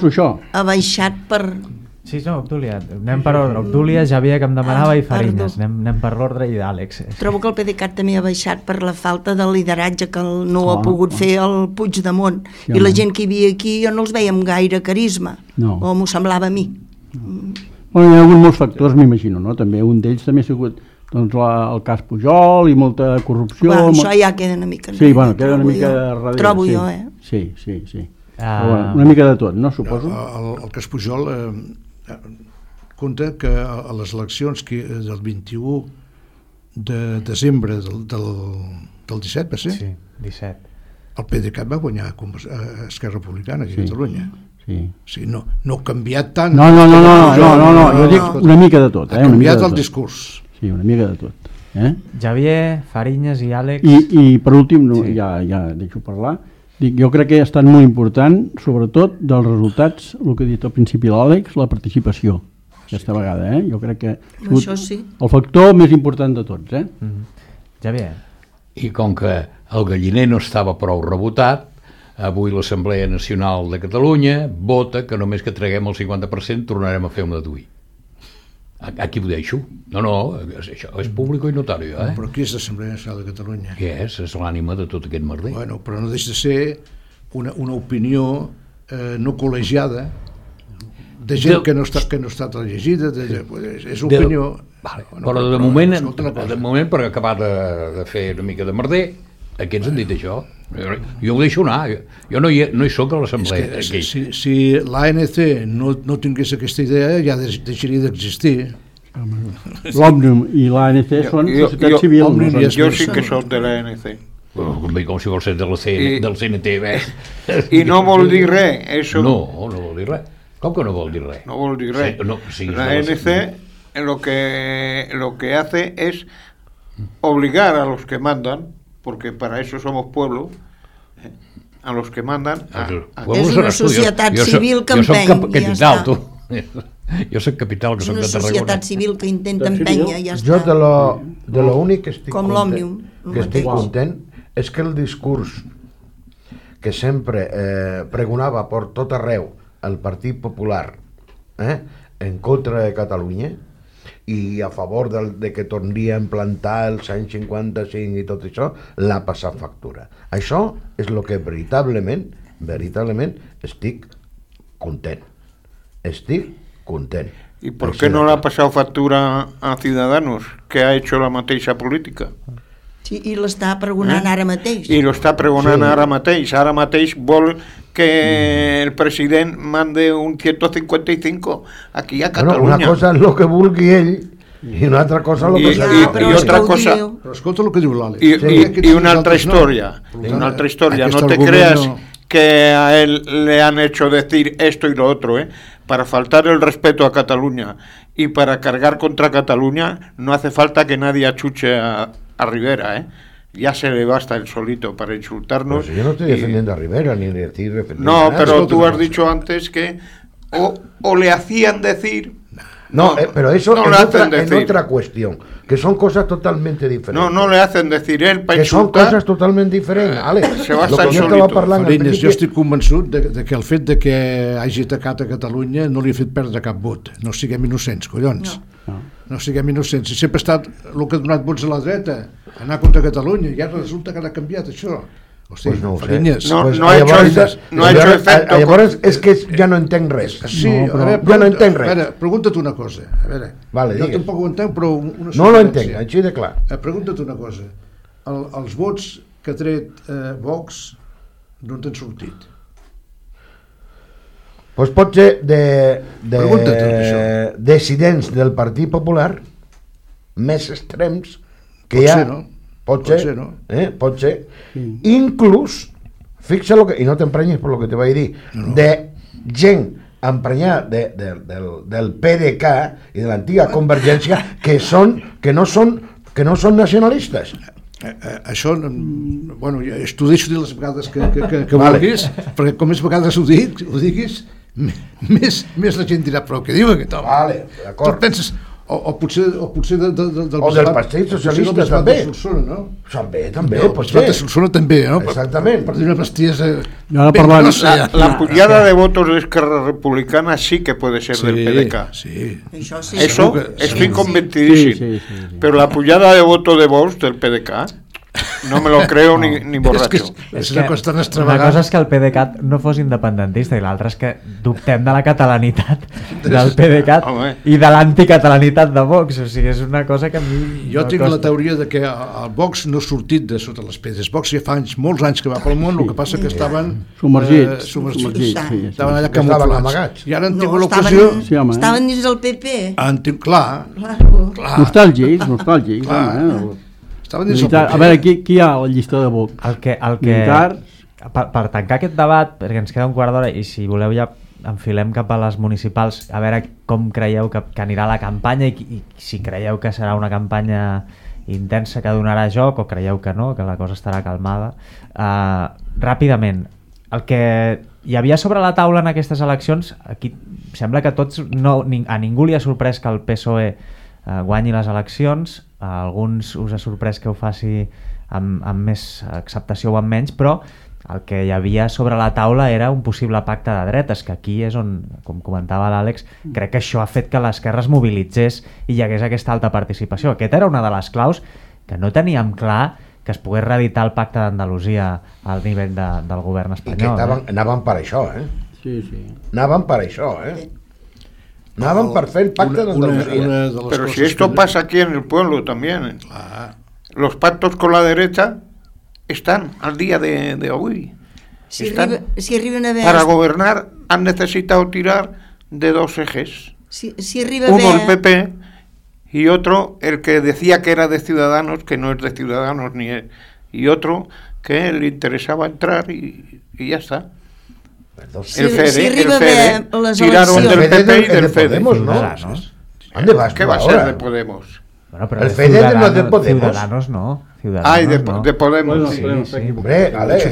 ha baixat per... Sí, no, Obdúlia, anem per ordre. Obdúlia, Javier, que em demanava, i Fariñas. Anem per l'ordre i d'Àlex. Trobo que el PDeCAT també ha baixat per la falta de lideratge que no ha pogut fer el Puigdemont. I la gent que hi havia aquí, jo no els veia amb gaire carisma, o m'ho semblava a mi. Bueno, hi ha hagut molts factors, m'imagino, no? També un d'ells també ha sigut el cas Pujol i molta corrupció. Això ja queda una mica... Sí, bueno, queda una mica darrere. Trobo jo, Sí. Una mica de tot, no, suposo? El cas Pujol compta que a les eleccions del 21 de desembre del 17, va ser? Sí, 17. El PDeCAT va guanyar Esquerra Republicana aquí a Catalunya. Sí, no ha canviat tant. No, jo dic una mica de tot. Ha canviat el discurs. Sí, una mica de tot. Javier, Fariñas i Àlex... I per últim, ja deixo parlar, jo crec que ha estat molt important, sobretot dels resultats, el que ha dit al principi l'Àlex, la participació, aquesta vegada. Jo crec que ha sigut el factor més important de tots. Javier. I com que el galliner no estava prou rebotat, avui l'Assemblea Nacional de Catalunya vota que només que traguem el 50% tornarem a fer una DUI. Aquí ho deixo. No, això és públic i notari. Però qui és l'Assemblea Nacional de Catalunya? Què és? És l'ànima de tot aquest merder. Bueno, però no deixa de ser una opinió no col·legiada de gent que no ha estat llegida, és opinió... Però de moment, per acabar de fer una mica de merder, aquests han dit això. Jo ho deixo anar, jo no hi soc a l'assemblea. Si l'ANC no tingués aquesta idea ja deixaria d'existir. L'Òmnium i l'ANC són societat civil. Jo sí que soc de l'ANC. Com si vols ser del CNT, I no vol dir res. No vol dir res. Com que no vol dir res? No vol dir res. l'ANC lo que hace es obligar a los que mandan, porque para eso somos pueblo, a los que mandan és una societat civil que empeny, ja està. Jo soc capital, que soc de Tarragona. És una societat civil que intenta empènyer, ja està. Jo de l'únic que estic content és que el discurs que sempre pregonava per tot arreu el Partit Popular en contra de Catalunya i a favor de que tornaria a implantar els anys 55 i tot això, l'ha passat factura. Això és el que veritablement estic content. Estic content. ¿Y por qué no le ha pasado factura a Ciudadanos, que ha hecho la mateixa política? Sí, i l'està pregonant ara mateix. I lo està pregonant ara mateix. Ara mateix vol que el president mande un 155 aquí a Catalunya. Una cosa és el que vulgui ell i una altra cosa és el que i otra cosa. Però escolta el que diu l'Àlex. Y una altra historia. Una altra historia. No te creas que a él le han hecho decir esto y lo otro, para faltar el respeto a Cataluña y para cargar contra Cataluña no hace falta que nadie achuche a Rivera, ya se le basta el solito para insultarnos. Pues yo no estoy defendiendo a Rivera ni decir no, pero tú has dicho antes que o le hacían decir. No, pero eso no es otra cuestión, que son cosas totalmente diferentes. No le hacen decir él para que insultar. Són coses totalment diferents, Àlex. Se basta el solito. Farinyes, jo estic convençut de que el fet de que hagi atacat a Catalunya no li ha fet perdre cap vot. No siguem innocents, collons. No siguem innocents. Si sempre ha estat el que ha donat vots a la dreta, anar contra Catalunya, i ara resulta que ha canviat això. Hosti, pues no ho sé. Farinyes. No ha hecho efecto. Llavors és que ja no entenc res. Sí, ja no entenc res. A veure, pregunta't una cosa. A veure, vale, jo tampoc ho entenc, però una no lo entenc, així de clar. Pregunta't una cosa. Els vots que ha tret Vox d'on t'han sortit? Pues pot ser de dissidents del Partit Popular més extrems que hi ha. Pot ser, no? Pot ser. Inclús, fixa lo que, i no t'emprenyis per lo que te vaig dir, de gent emprenyada del PDeCA i de l'antiga Convergència que no són nacionalistes. Això, bueno, t'ho deixo dir les vegades que vulguis, perquè com més vegades ho diguis, més la gent dirà, però què diu aquest home? Vale, d'acord. Tu penses... O potser del Partit Socialista també. També, potser. De Solsona també, no? Exactament. Per dir una bestiesa... La pujada de votos de Esquerra Republicana sí que puede ser del PDeCA. Sí. Eso estoy convencidísimo. Pero la pujada de votos de Vox del PDeCA no me lo creo ni borracho. És una cosa tan una extravagant. cosa és que el PDeCAT no fos independentista i l'altra és que dubtem de la catalanitat del PDeCAT i de l'anticatalanitat de Vox, o sigui, és una cosa que a mi Jo tinc la teoria de que el Vox no ha sortit de sota les pedres. Vox ja fa molts anys que va pel món, el que passa que estaven submergits, estaven allà camuflats. I ara han tingut l'ocasió... Estaven dins del PP. Clar. Nostàlgics, a veure, qui hi ha a la llista de Vox? El que per tancar aquest debat, perquè ens queda un quart d'hora i si voleu ja enfilem cap a les municipals, a veure com creieu que anirà la campanya i si creieu que serà una campanya intensa que donarà joc o creieu que no, que la cosa estarà calmada. Ràpidament, el que hi havia sobre la taula en aquestes eleccions, aquí sembla que a ningú li ha sorprès que el PSOE guanyi les eleccions, a alguns us ha sorprès que ho faci amb més acceptació o amb menys, però el que hi havia sobre la taula era un possible pacte de dretes, que aquí és on, com comentava l'Àlex, crec que això ha fet que l'esquerra es mobilitzés i hi hagués aquesta alta participació. Aquesta era una de les claus que no teníem clar que es pogués reeditar el pacte d'Andalusia al nivell del govern espanyol. I que anaven per això, Sí. Anaven per això, Anaven per fer el pacte d'Andalusia. Pero si esto pasa aquí en el pueblo también. Los pactos con la derecha están al día de hoy. Si arriben a ver... Para gobernar han necesitado tirar de dos ejes. Si arriba a Uno ver... el PP y otro el que decía que era de Ciudadanos, que no es de Ciudadanos ni es, y otro que le interesaba entrar y ya está. Si arriba a ver les tiraron del eleccions... PP y del FEDE. Podemos, ¿no? ¿Dónde vas? ¿Qué va a ser de Podemos? Bueno, pero el FEDE no es de Podemos. Ciudadanos no. Ay, de Podemos. Sí. Hombre, Ale. Sí.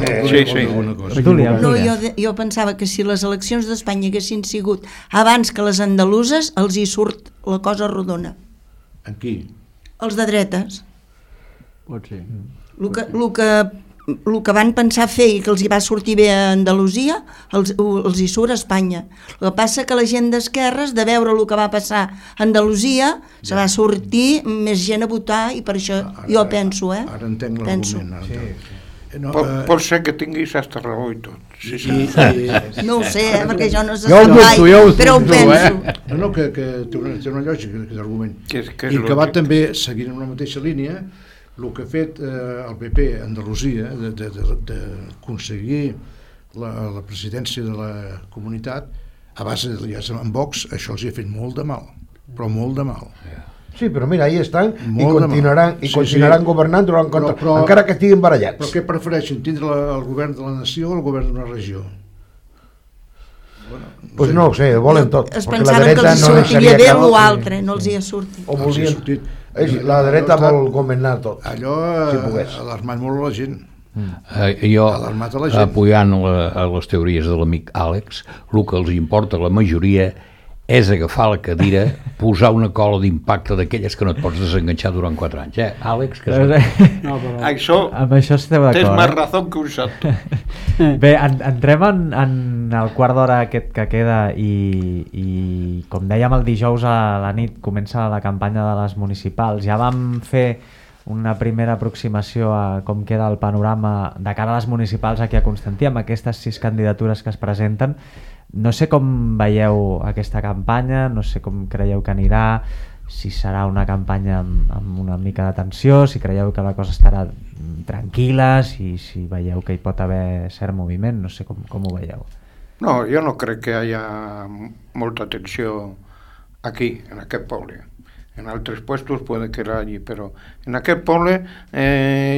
Jo pensava que si les eleccions d'Espanya haguessin sigut abans que les andaluses, els hi surt la cosa rodona. En qui? Els de dretes. Pot ser. El que el que van pensar fer i que els hi va sortir bé a Andalusia, els hi surt a Espanya. El que passa que la gent d'esquerres, de veure el que va passar a Andalusia, se va sortir més gent a votar i per això jo penso, Ara entenc l'argument. Pot ser que tinguis hasta raó i tot. No ho sé, perquè jo no sé Jo ho dubto, però ho penso. No, que té una lògica aquest argument. Que I que va també, seguint en la mateixa línia, el que ha fet el PP a Andalusia d'aconseguir la presidència de la comunitat a base d'aliats amb Vox, això els hi ha fet molt de mal, però molt de mal. Sí, però mira, ahí estan Molt i continuaran governant durant encara que estiguin barallats. Però què prefereixen, tindre el govern de la nació o el govern d'una regió? Pues no ho sé, volen tot. Es perquè la pensaven que dreta els hi no sortiria deixaria bé cap- o altre, no els hi ha sortit. O volien... sortit. La dreta vol governar tot. Allò Si pogués. ha alarmat molt la gent. Jo, Alarmat a la gent. apoyant les teories de l'amic Àlex, el que els importa a la majoria és agafar la cadira, posar una cola d'impacte d'aquelles que no et pots desenganxar durant 4 anys, Àlex? Que No, però... Això, Amb això esteu tens d'acord. més raó que un santo. Bé, entrem en el quart d'hora aquest que queda i com dèiem el dijous a la nit comença la campanya de les municipals. Ja vam fer una primera aproximació a com queda el panorama de cara a les municipals aquí a Constantí amb aquestes 6 candidatures que es presenten. No sé com veieu aquesta campanya, no sé com creieu que anirà, si serà una campanya amb una mica de tensió, si creieu que la cosa estarà tranquil·la, si veieu que hi pot haver cert moviment, no sé com ho veieu. No, jo no crec que hi hagi molta tensió aquí, en aquest poble. En altres puestos puede que la hagi, però en aquest poble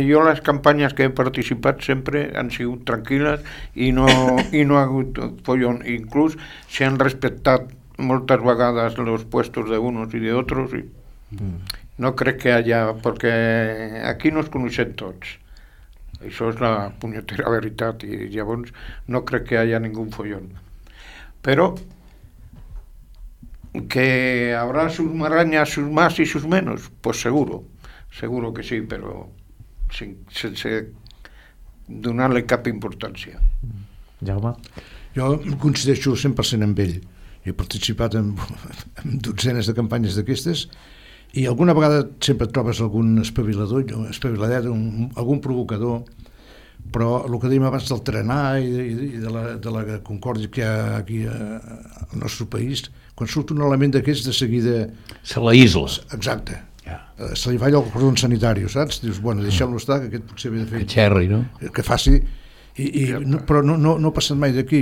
jo les campanyes que he participat sempre han sigut tranquil·les i no ha hagut follón. Inclús se han respectat moltes vegades los puestos de unos y de otros y no crec que haya, perquè aquí no es coneixen tots. Això és la punyetera veritat i llavors no crec que haya ningún follón. Però que habrá sus marañas, sus más y sus menos, pues seguro que sí, però sense donar-li cap importància. Jaume? Jo coincideixo 100% amb ell. He participat en dotzenes de campanyes d'aquestes i alguna vegada sempre et trobes algun espaviladet, algun provocador, però el que dèiem abans del trenar i de la concòrdia que hi ha aquí al nostre país, quan surt un element d'aquests de seguida... Se la isla. Exacte. Se li falla el cordó sanitari, saps? Dius, bueno, deixem-lo estar, que aquest potser ve de fer... Que xerri, no? Que faci... Però no ha passat mai d'aquí.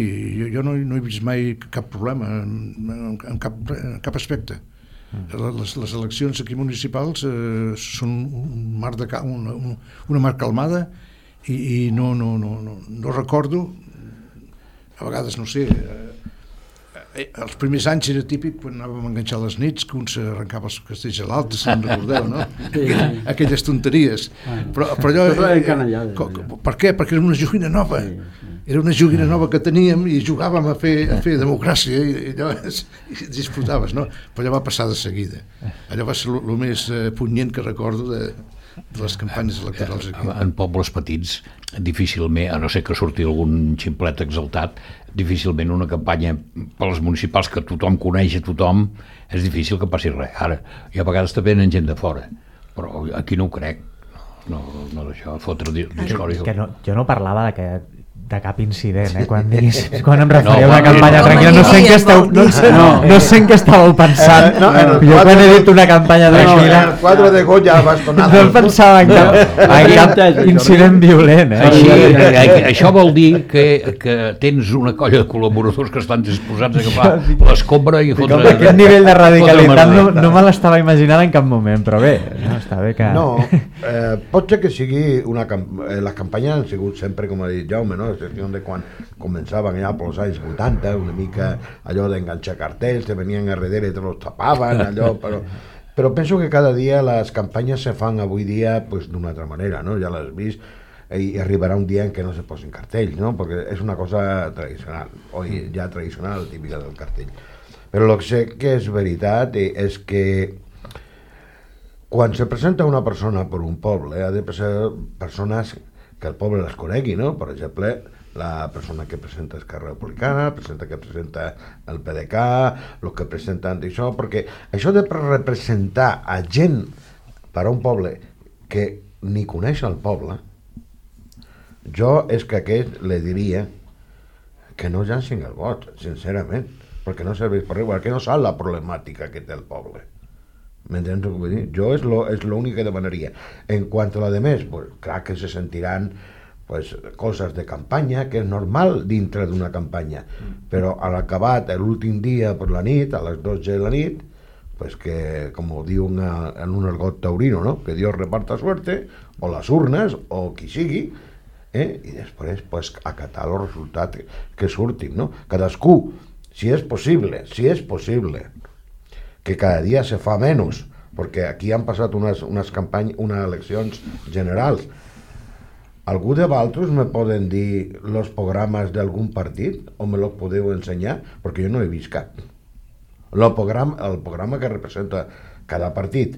Jo no he vist mai cap problema en cap aspecte. Les eleccions aquí municipals són una mar calmada i no recordo, a vegades no sé, els primers anys era típic quan anàvem a enganxar les nits que un s'arrencava els castells a l'alta, si no recordeu, no? Aquelles tonteries. Però allò... Per què? Perquè era una joguina nova. Era una joguina nova que teníem i jugàvem a fer democràcia i llavors disfrutaves, no? Però allò va passar de seguida. Allò va ser el més punyent que recordo de les campanyes electorals aquí. En pobles petits, difícilment, a no ser que surti algun ximplet exaltat, difícilment una campanya per les municipals que tothom coneix a tothom, és difícil que passi res. Ara, i a vegades també venen gent de fora, però aquí no ho crec. No d'això, fotre discòria. Jo no parlava de cap incident, quan em referia a una campanya tranquil·la, no sé en què estàveu pensant. Jo quan he dit una campanya tranquil·la el quadre de Goya bastonado. no pensava en cap incident violent. Això vol dir que tens una colla de col·laboradors que estan disposats a agafar l'escombra i fotre... Aquest nivell de radicalitat no me l'estava imaginant en cap moment, però bé, està bé que... No, pot ser que sigui les campanyes han sigut sempre, com ha dit Jaume, no? Excepció de quan començaven allà pels anys 80, una mica allò d'enganxar cartells, te venien a darrere i te los tapaven, allò, però penso que cada dia les campanyes se fan avui dia pues, d'una altra manera, no? Ja l'has vist, i arribarà un dia en què no se posin cartells, no? Perquè és una cosa tradicional, ja tradicional, típica del cartell. Però el que sé que és veritat és que quan se presenta una persona per un poble, ha de ser persones que el poble les conegui, no? Per exemple, la persona que presenta Esquerra Republicana, que presenta el PDeCAT, el que presenten d'això, perquè això de representar a gent per a un poble que ni coneix el poble, jo és que a aquest le diria que no llancin el vot, sincerament, perquè no serveix per res, perquè no sap la problemàtica que té el poble. ¿M'entens el que vull dir? Jo és l'únic que demanaria. En quant a la de més, pues, clar que se sentiran pues, coses de campanya, que és normal dintre d'una campanya, però a l'acabat, l'últim dia per la nit, a les 12 de la nit, pues que, com ho diu en un argot taurino, no? Que Dios reparta suerte, o les urnes, o qui sigui, i després pues, acatar els resultats que surtin, no? Cadascú, si és possible, que cada dia se fa menys, perquè aquí han passat unes eleccions generals. Algú de vosaltres me poden dir els programes d'algun partit o me los podeu ensenyar? Perquè jo no he vist cap. El programa que representa cada partit,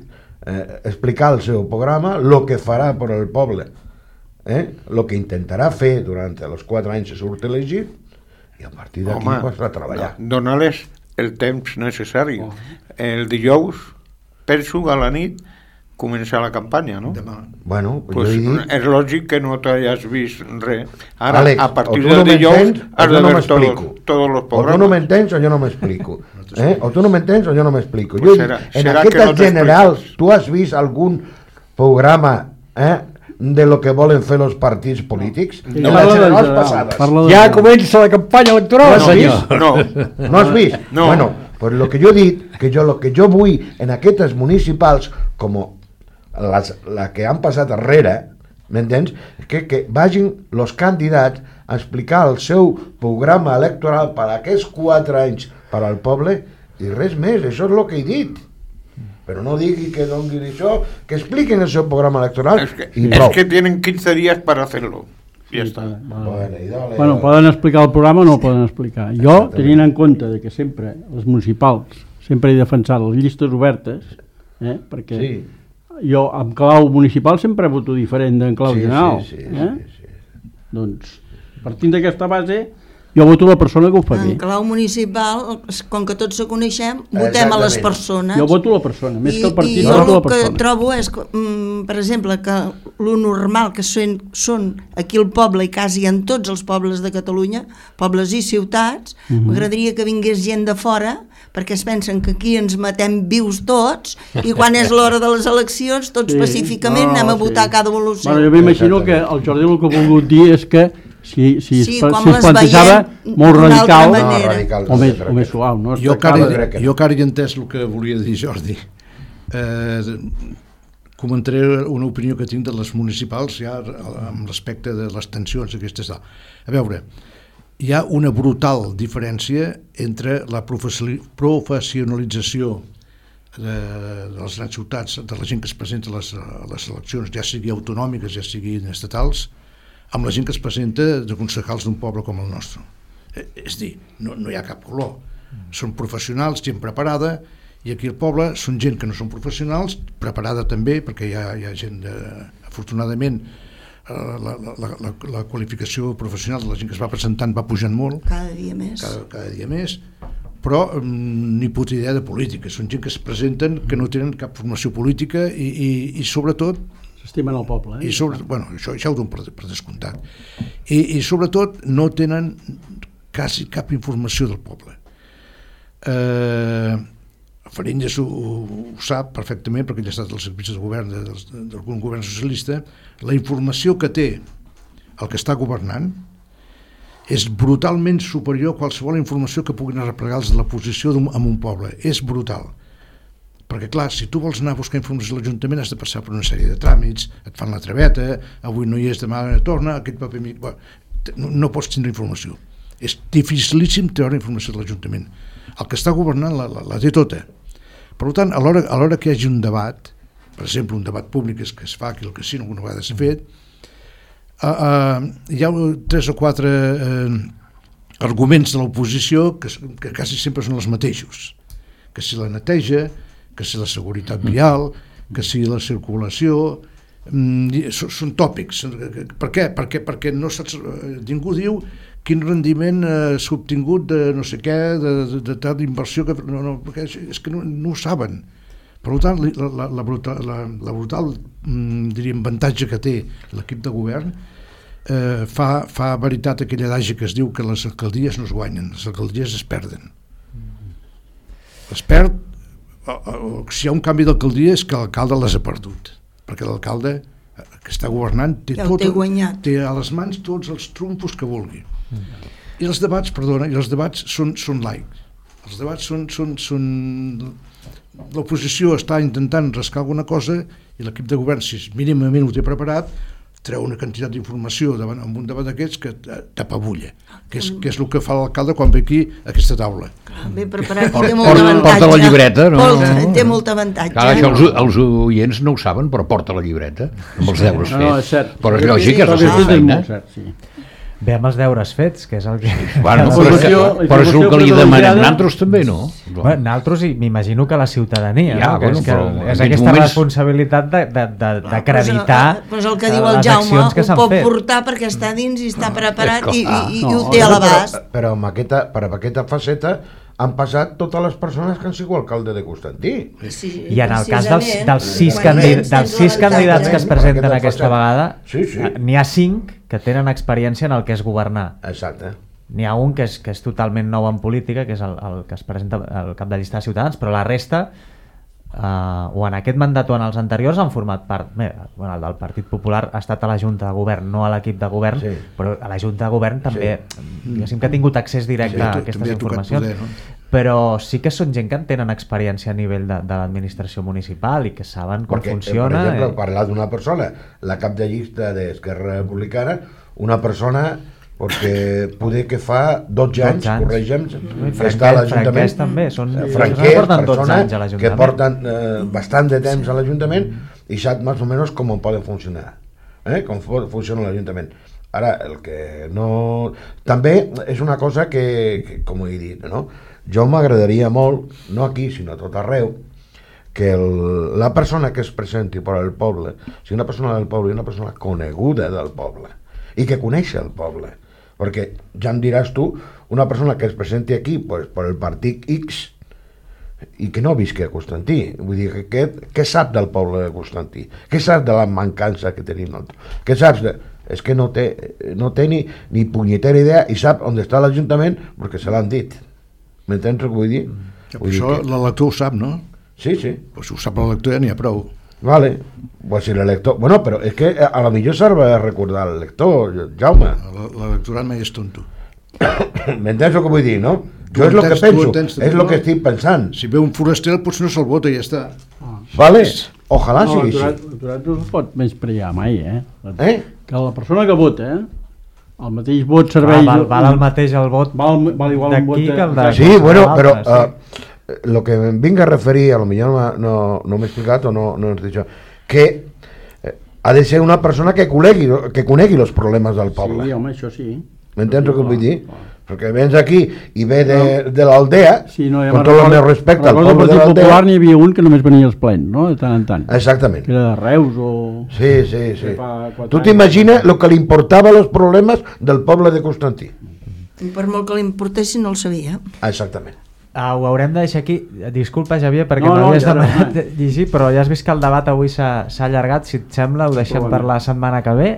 explicar el seu programa, el que farà per al poble, el que intentarà fer durant els 4 anys que surt elegit, i a partir d'aquí passarà a treballar. Donar-les el temps necessari. El dijous, penso, a la nit, començar la campanya, no? Bueno, pues és lògic que no t'has vist res. Ara, Àlex, a partir del dijous, has de ver tots els programes. O tu no m'entens o jo no m'explico. O tu no m'entens o jo no m'explico. Pues en aquestes generals, tu has vist algun programa de lo que volen fer els partits polítics? En les generals passades. Ja comença la campanya electoral, senyor. No has vist? No. Bueno, pues lo que jo he dit, lo que jo vull en aquestes municipals, com la que han passat darrere, m'entens? Que vagin els candidats a explicar el seu programa electoral per a aquests 4 anys per al poble i res més, això és el que he dit. Però no digui que donguin això, que expliquen el seu programa electoral i prou. Es que tienen 15 días para hacerlo. Ja està. Bueno, poden explicar el programa o no el poden explicar. Jo, tenint en compte de que sempre, les municipals, sempre he defensat les llistes obertes, perquè jo amb clau municipal sempre voto diferent d'en clau general. Doncs, partint d'aquesta base, jo voto la persona que ho fa bé. En clau municipal, com que tots se coneixem, votem a les persones. Jo voto la persona, més que el partit, jo voto la el que persona. trobo és, per exemple, que lo normal que són aquí al poble i quasi en tots els pobles de Catalunya, pobles i ciutats, m'agradaria que vingués gent de fora, perquè es pensen que aquí ens matem vius tots i quan és l'hora de les eleccions tots pacíficament anem a votar cada evolució. Jo m'imagino que el Jordi el que ha volgut dir és que si es plantejava molt radical o més suau. No? Jo encara he entès el que volia dir Jordi. Comentaré una opinió que tinc de les municipals ja amb respecte de les tensions aquestes. A veure, hi ha una brutal diferència entre la professionalització de les grans ciutats, de la gent que es presenta a les eleccions, ja sigui autonòmiques, ja siguin estatals, amb la gent que es presenta de concejals d'un poble com el nostre. És dir, no hi ha cap color. Són professionals, gent preparada, i aquí al poble són gent que no són professionals, preparada també, perquè hi ha gent, afortunadament, la qualificació professional de la gent que es va presentant va pujant molt. Cada dia més. Cada dia més, però ni puta idea de política. Són gent que es presenten, que no tenen cap formació política i sobretot s'estimen el poble. Això ho dono per descomptat. I sobretot no tenen quasi cap informació del poble. Faringes ho sap perfectament perquè ell ha estat als servicis de govern d'algun govern socialista. La informació que té el que està governant és brutalment superior a qualsevol informació que puguin arreplegar els de la posició en un poble. És brutal. Perquè, clar, si tu vols anar a buscar informació a l'Ajuntament has de passar per una sèrie de tràmits, et fan la traveta, avui no hi és, demà torna, aquest paper... No pots tindre informació. És dificilíssim treure informació de l'Ajuntament. El que està governant la té tota. Per tant, a l'hora que hi hagi un debat, per exemple, un debat públic que es fa aquí al casino, alguna vegada s'ha fet, hi ha 3 o 4 arguments de l'oposició que quasi sempre són els mateixos. Que si la neteja, que si la seguretat vial, que si la circulació, són tòpics. Per què? Perquè no saps, ningú diu quin rendiment s'ha obtingut de no sé què, de tal inversió, perquè és que no ho saben. Per tant, la brutal diríem, avantatge que té l'equip de govern fa veritat aquell adagi que es diu que les alcaldies no es guanyen, les alcaldies es perden. Es perd, si hi ha un canvi d'alcaldia és que l'alcalde les ha perdut, perquè l'alcalde que està governant té a les mans tots els trumfos que vulgui. I els debats, són laics. Els debats són l'oposició està intentant rascar alguna cosa i l'equip de govern, si mínimament ho té preparat, treu una quantitat d'informació amb un debat d'aquests que t'apabulla, que és el que fa l'alcalde quan ve aquí a aquesta taula. Ben preparat i té molt avantatge. Porta la llibreta, no? Té molt avantatge. Clar, això els oients no ho saben, però porta la llibreta amb els deures fets. No, és cert. Però és lògic, és la seva feina. Ve amb els deures fets, que és el que... Bueno, però és el que li demanem nosaltres també, no? Nosaltres, m'imagino que la ciutadania, és en aquesta responsabilitat d'acreditar les accions que s'han fet. Ho pot portar perquè està dins i està preparat i ho té a l'abast. Però per aquesta faceta han passat totes les persones que han sigut alcalde de Constantí. I en el cas dels 6 candidats que es presenten aquesta vegada, n'hi ha 5 que tenen experiència en el que és governar. Exacte. N'hi ha un que és totalment nou en política, que és el que es presenta al cap de llista de Ciutadans, però la resta, o en aquest mandat o en els anteriors, han format part. El del Partit Popular ha estat a la Junta de Govern, no a l'equip de govern, però a la Junta de Govern també, diguéssim que ha tingut accés directe a aquestes informacions. Però sí que són gent que en tenen experiència a nivell de l'administració municipal i que saben com funciona. Per exemple, parlar d'una persona, la cap de llista d'Esquerra Republicana, una persona perquè poder que fa 12 anys, corregem, està a l'Ajuntament. Franquers també, persones que porten bastant de temps a l'Ajuntament i sap més o menys com poden funcionar, com funciona l'Ajuntament. Ara, el que no... També és una cosa que com he dit, no? Jo m'agradaria molt, no aquí, sinó a tot arreu, que la persona que es presenti per al poble sigui una persona del poble i una persona coneguda del poble i que coneix el poble, perquè ja em diràs tu, una persona que es presenti aquí per el partit X i que no visqui a Constantí, vull dir, què sap del poble de Constantí? Què sap de la mancança que tenim nosaltres? Què saps de... És que no té ni punyetera idea i sap on està l'Ajuntament perquè se l'han dit. M'entens el que vull dir? Això l'elector ho sap, no? Sí. Pues si ho sap l'elector ja n'hi ha prou. Vale, pues si l'elector... Bueno, però és que a lo millor serve recordar l'elector, Jaume. L'electorat mai és tonto. M'entens el que vull dir, no? Jo és el que penso, és el que estic pensant. Si ve un foraster, potser no se'l vota i ja està. Vale, ojalà sigui així. L'electorat no es pot menysprear mai, que la persona que vota, el mateix vot serveix... Val el mateix el vot val igual un vot de... Sí, bueno, però el que em vinc a referir, a lo millor no m'he explicat o no has dit això, que ha de ser una persona que conegui els problemes del poble. Sí, home, això sí. M'entens el que vull dir? Perquè vens aquí i ve de l'aldea, amb tot el meu respecte al poble de l'aldea... Popular n'hi havia un que només venia als plens, no?, de tant en tant. Exactament. Que era de Reus o... Sí. Tu t'imagines el que li importava els problemes del poble de Constantí? Per molt que li importessin no el sabia. Exactament. Ho haurem de deixar aquí. Disculpa, Xavier, perquè m'havies demanat llegir, però ja has vist que el debat avui s'ha allargat. Si et sembla, ho deixem per la setmana que ve,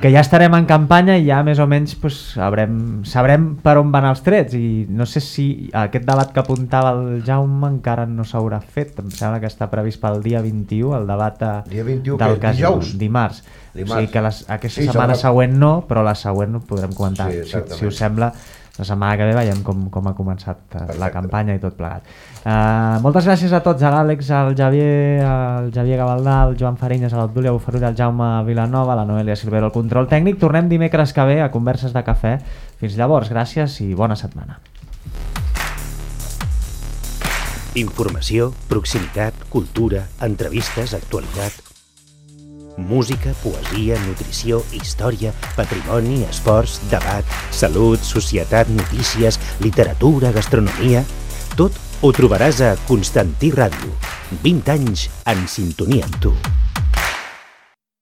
que ja estarem en campanya i ja més o menys sabrem per on van els trets. I no sé si aquest debat que apuntava el Jaume encara no s'haurà fet. Em sembla que està previst pel dia 21, el debat del cas dimarts. O sigui que aquesta setmana següent no, però la següent ho podrem comentar. Si us sembla, la setmana que ve veiem com ha començat la campanya i tot plegat. Moltes gràcies a tots, a l'Àlex, al Xavier Gavaldà, al Joan Farinyes, a l'Obdúlia Bufarull, al Jaume Vilanova, a la Noelia Silvero, al control tècnic. Tornem dimecres que ve a Converses de Cafè. Fins llavors, gràcies i bona setmana. Informació, proximitat, cultura, entrevistes, actualitat... Música, poesia, nutrició, història, patrimoni, esports, debat, salut, societat, notícies, literatura, gastronomia... Tot ho trobaràs a Constantí Ràdio. 20 anys en sintonia amb tu.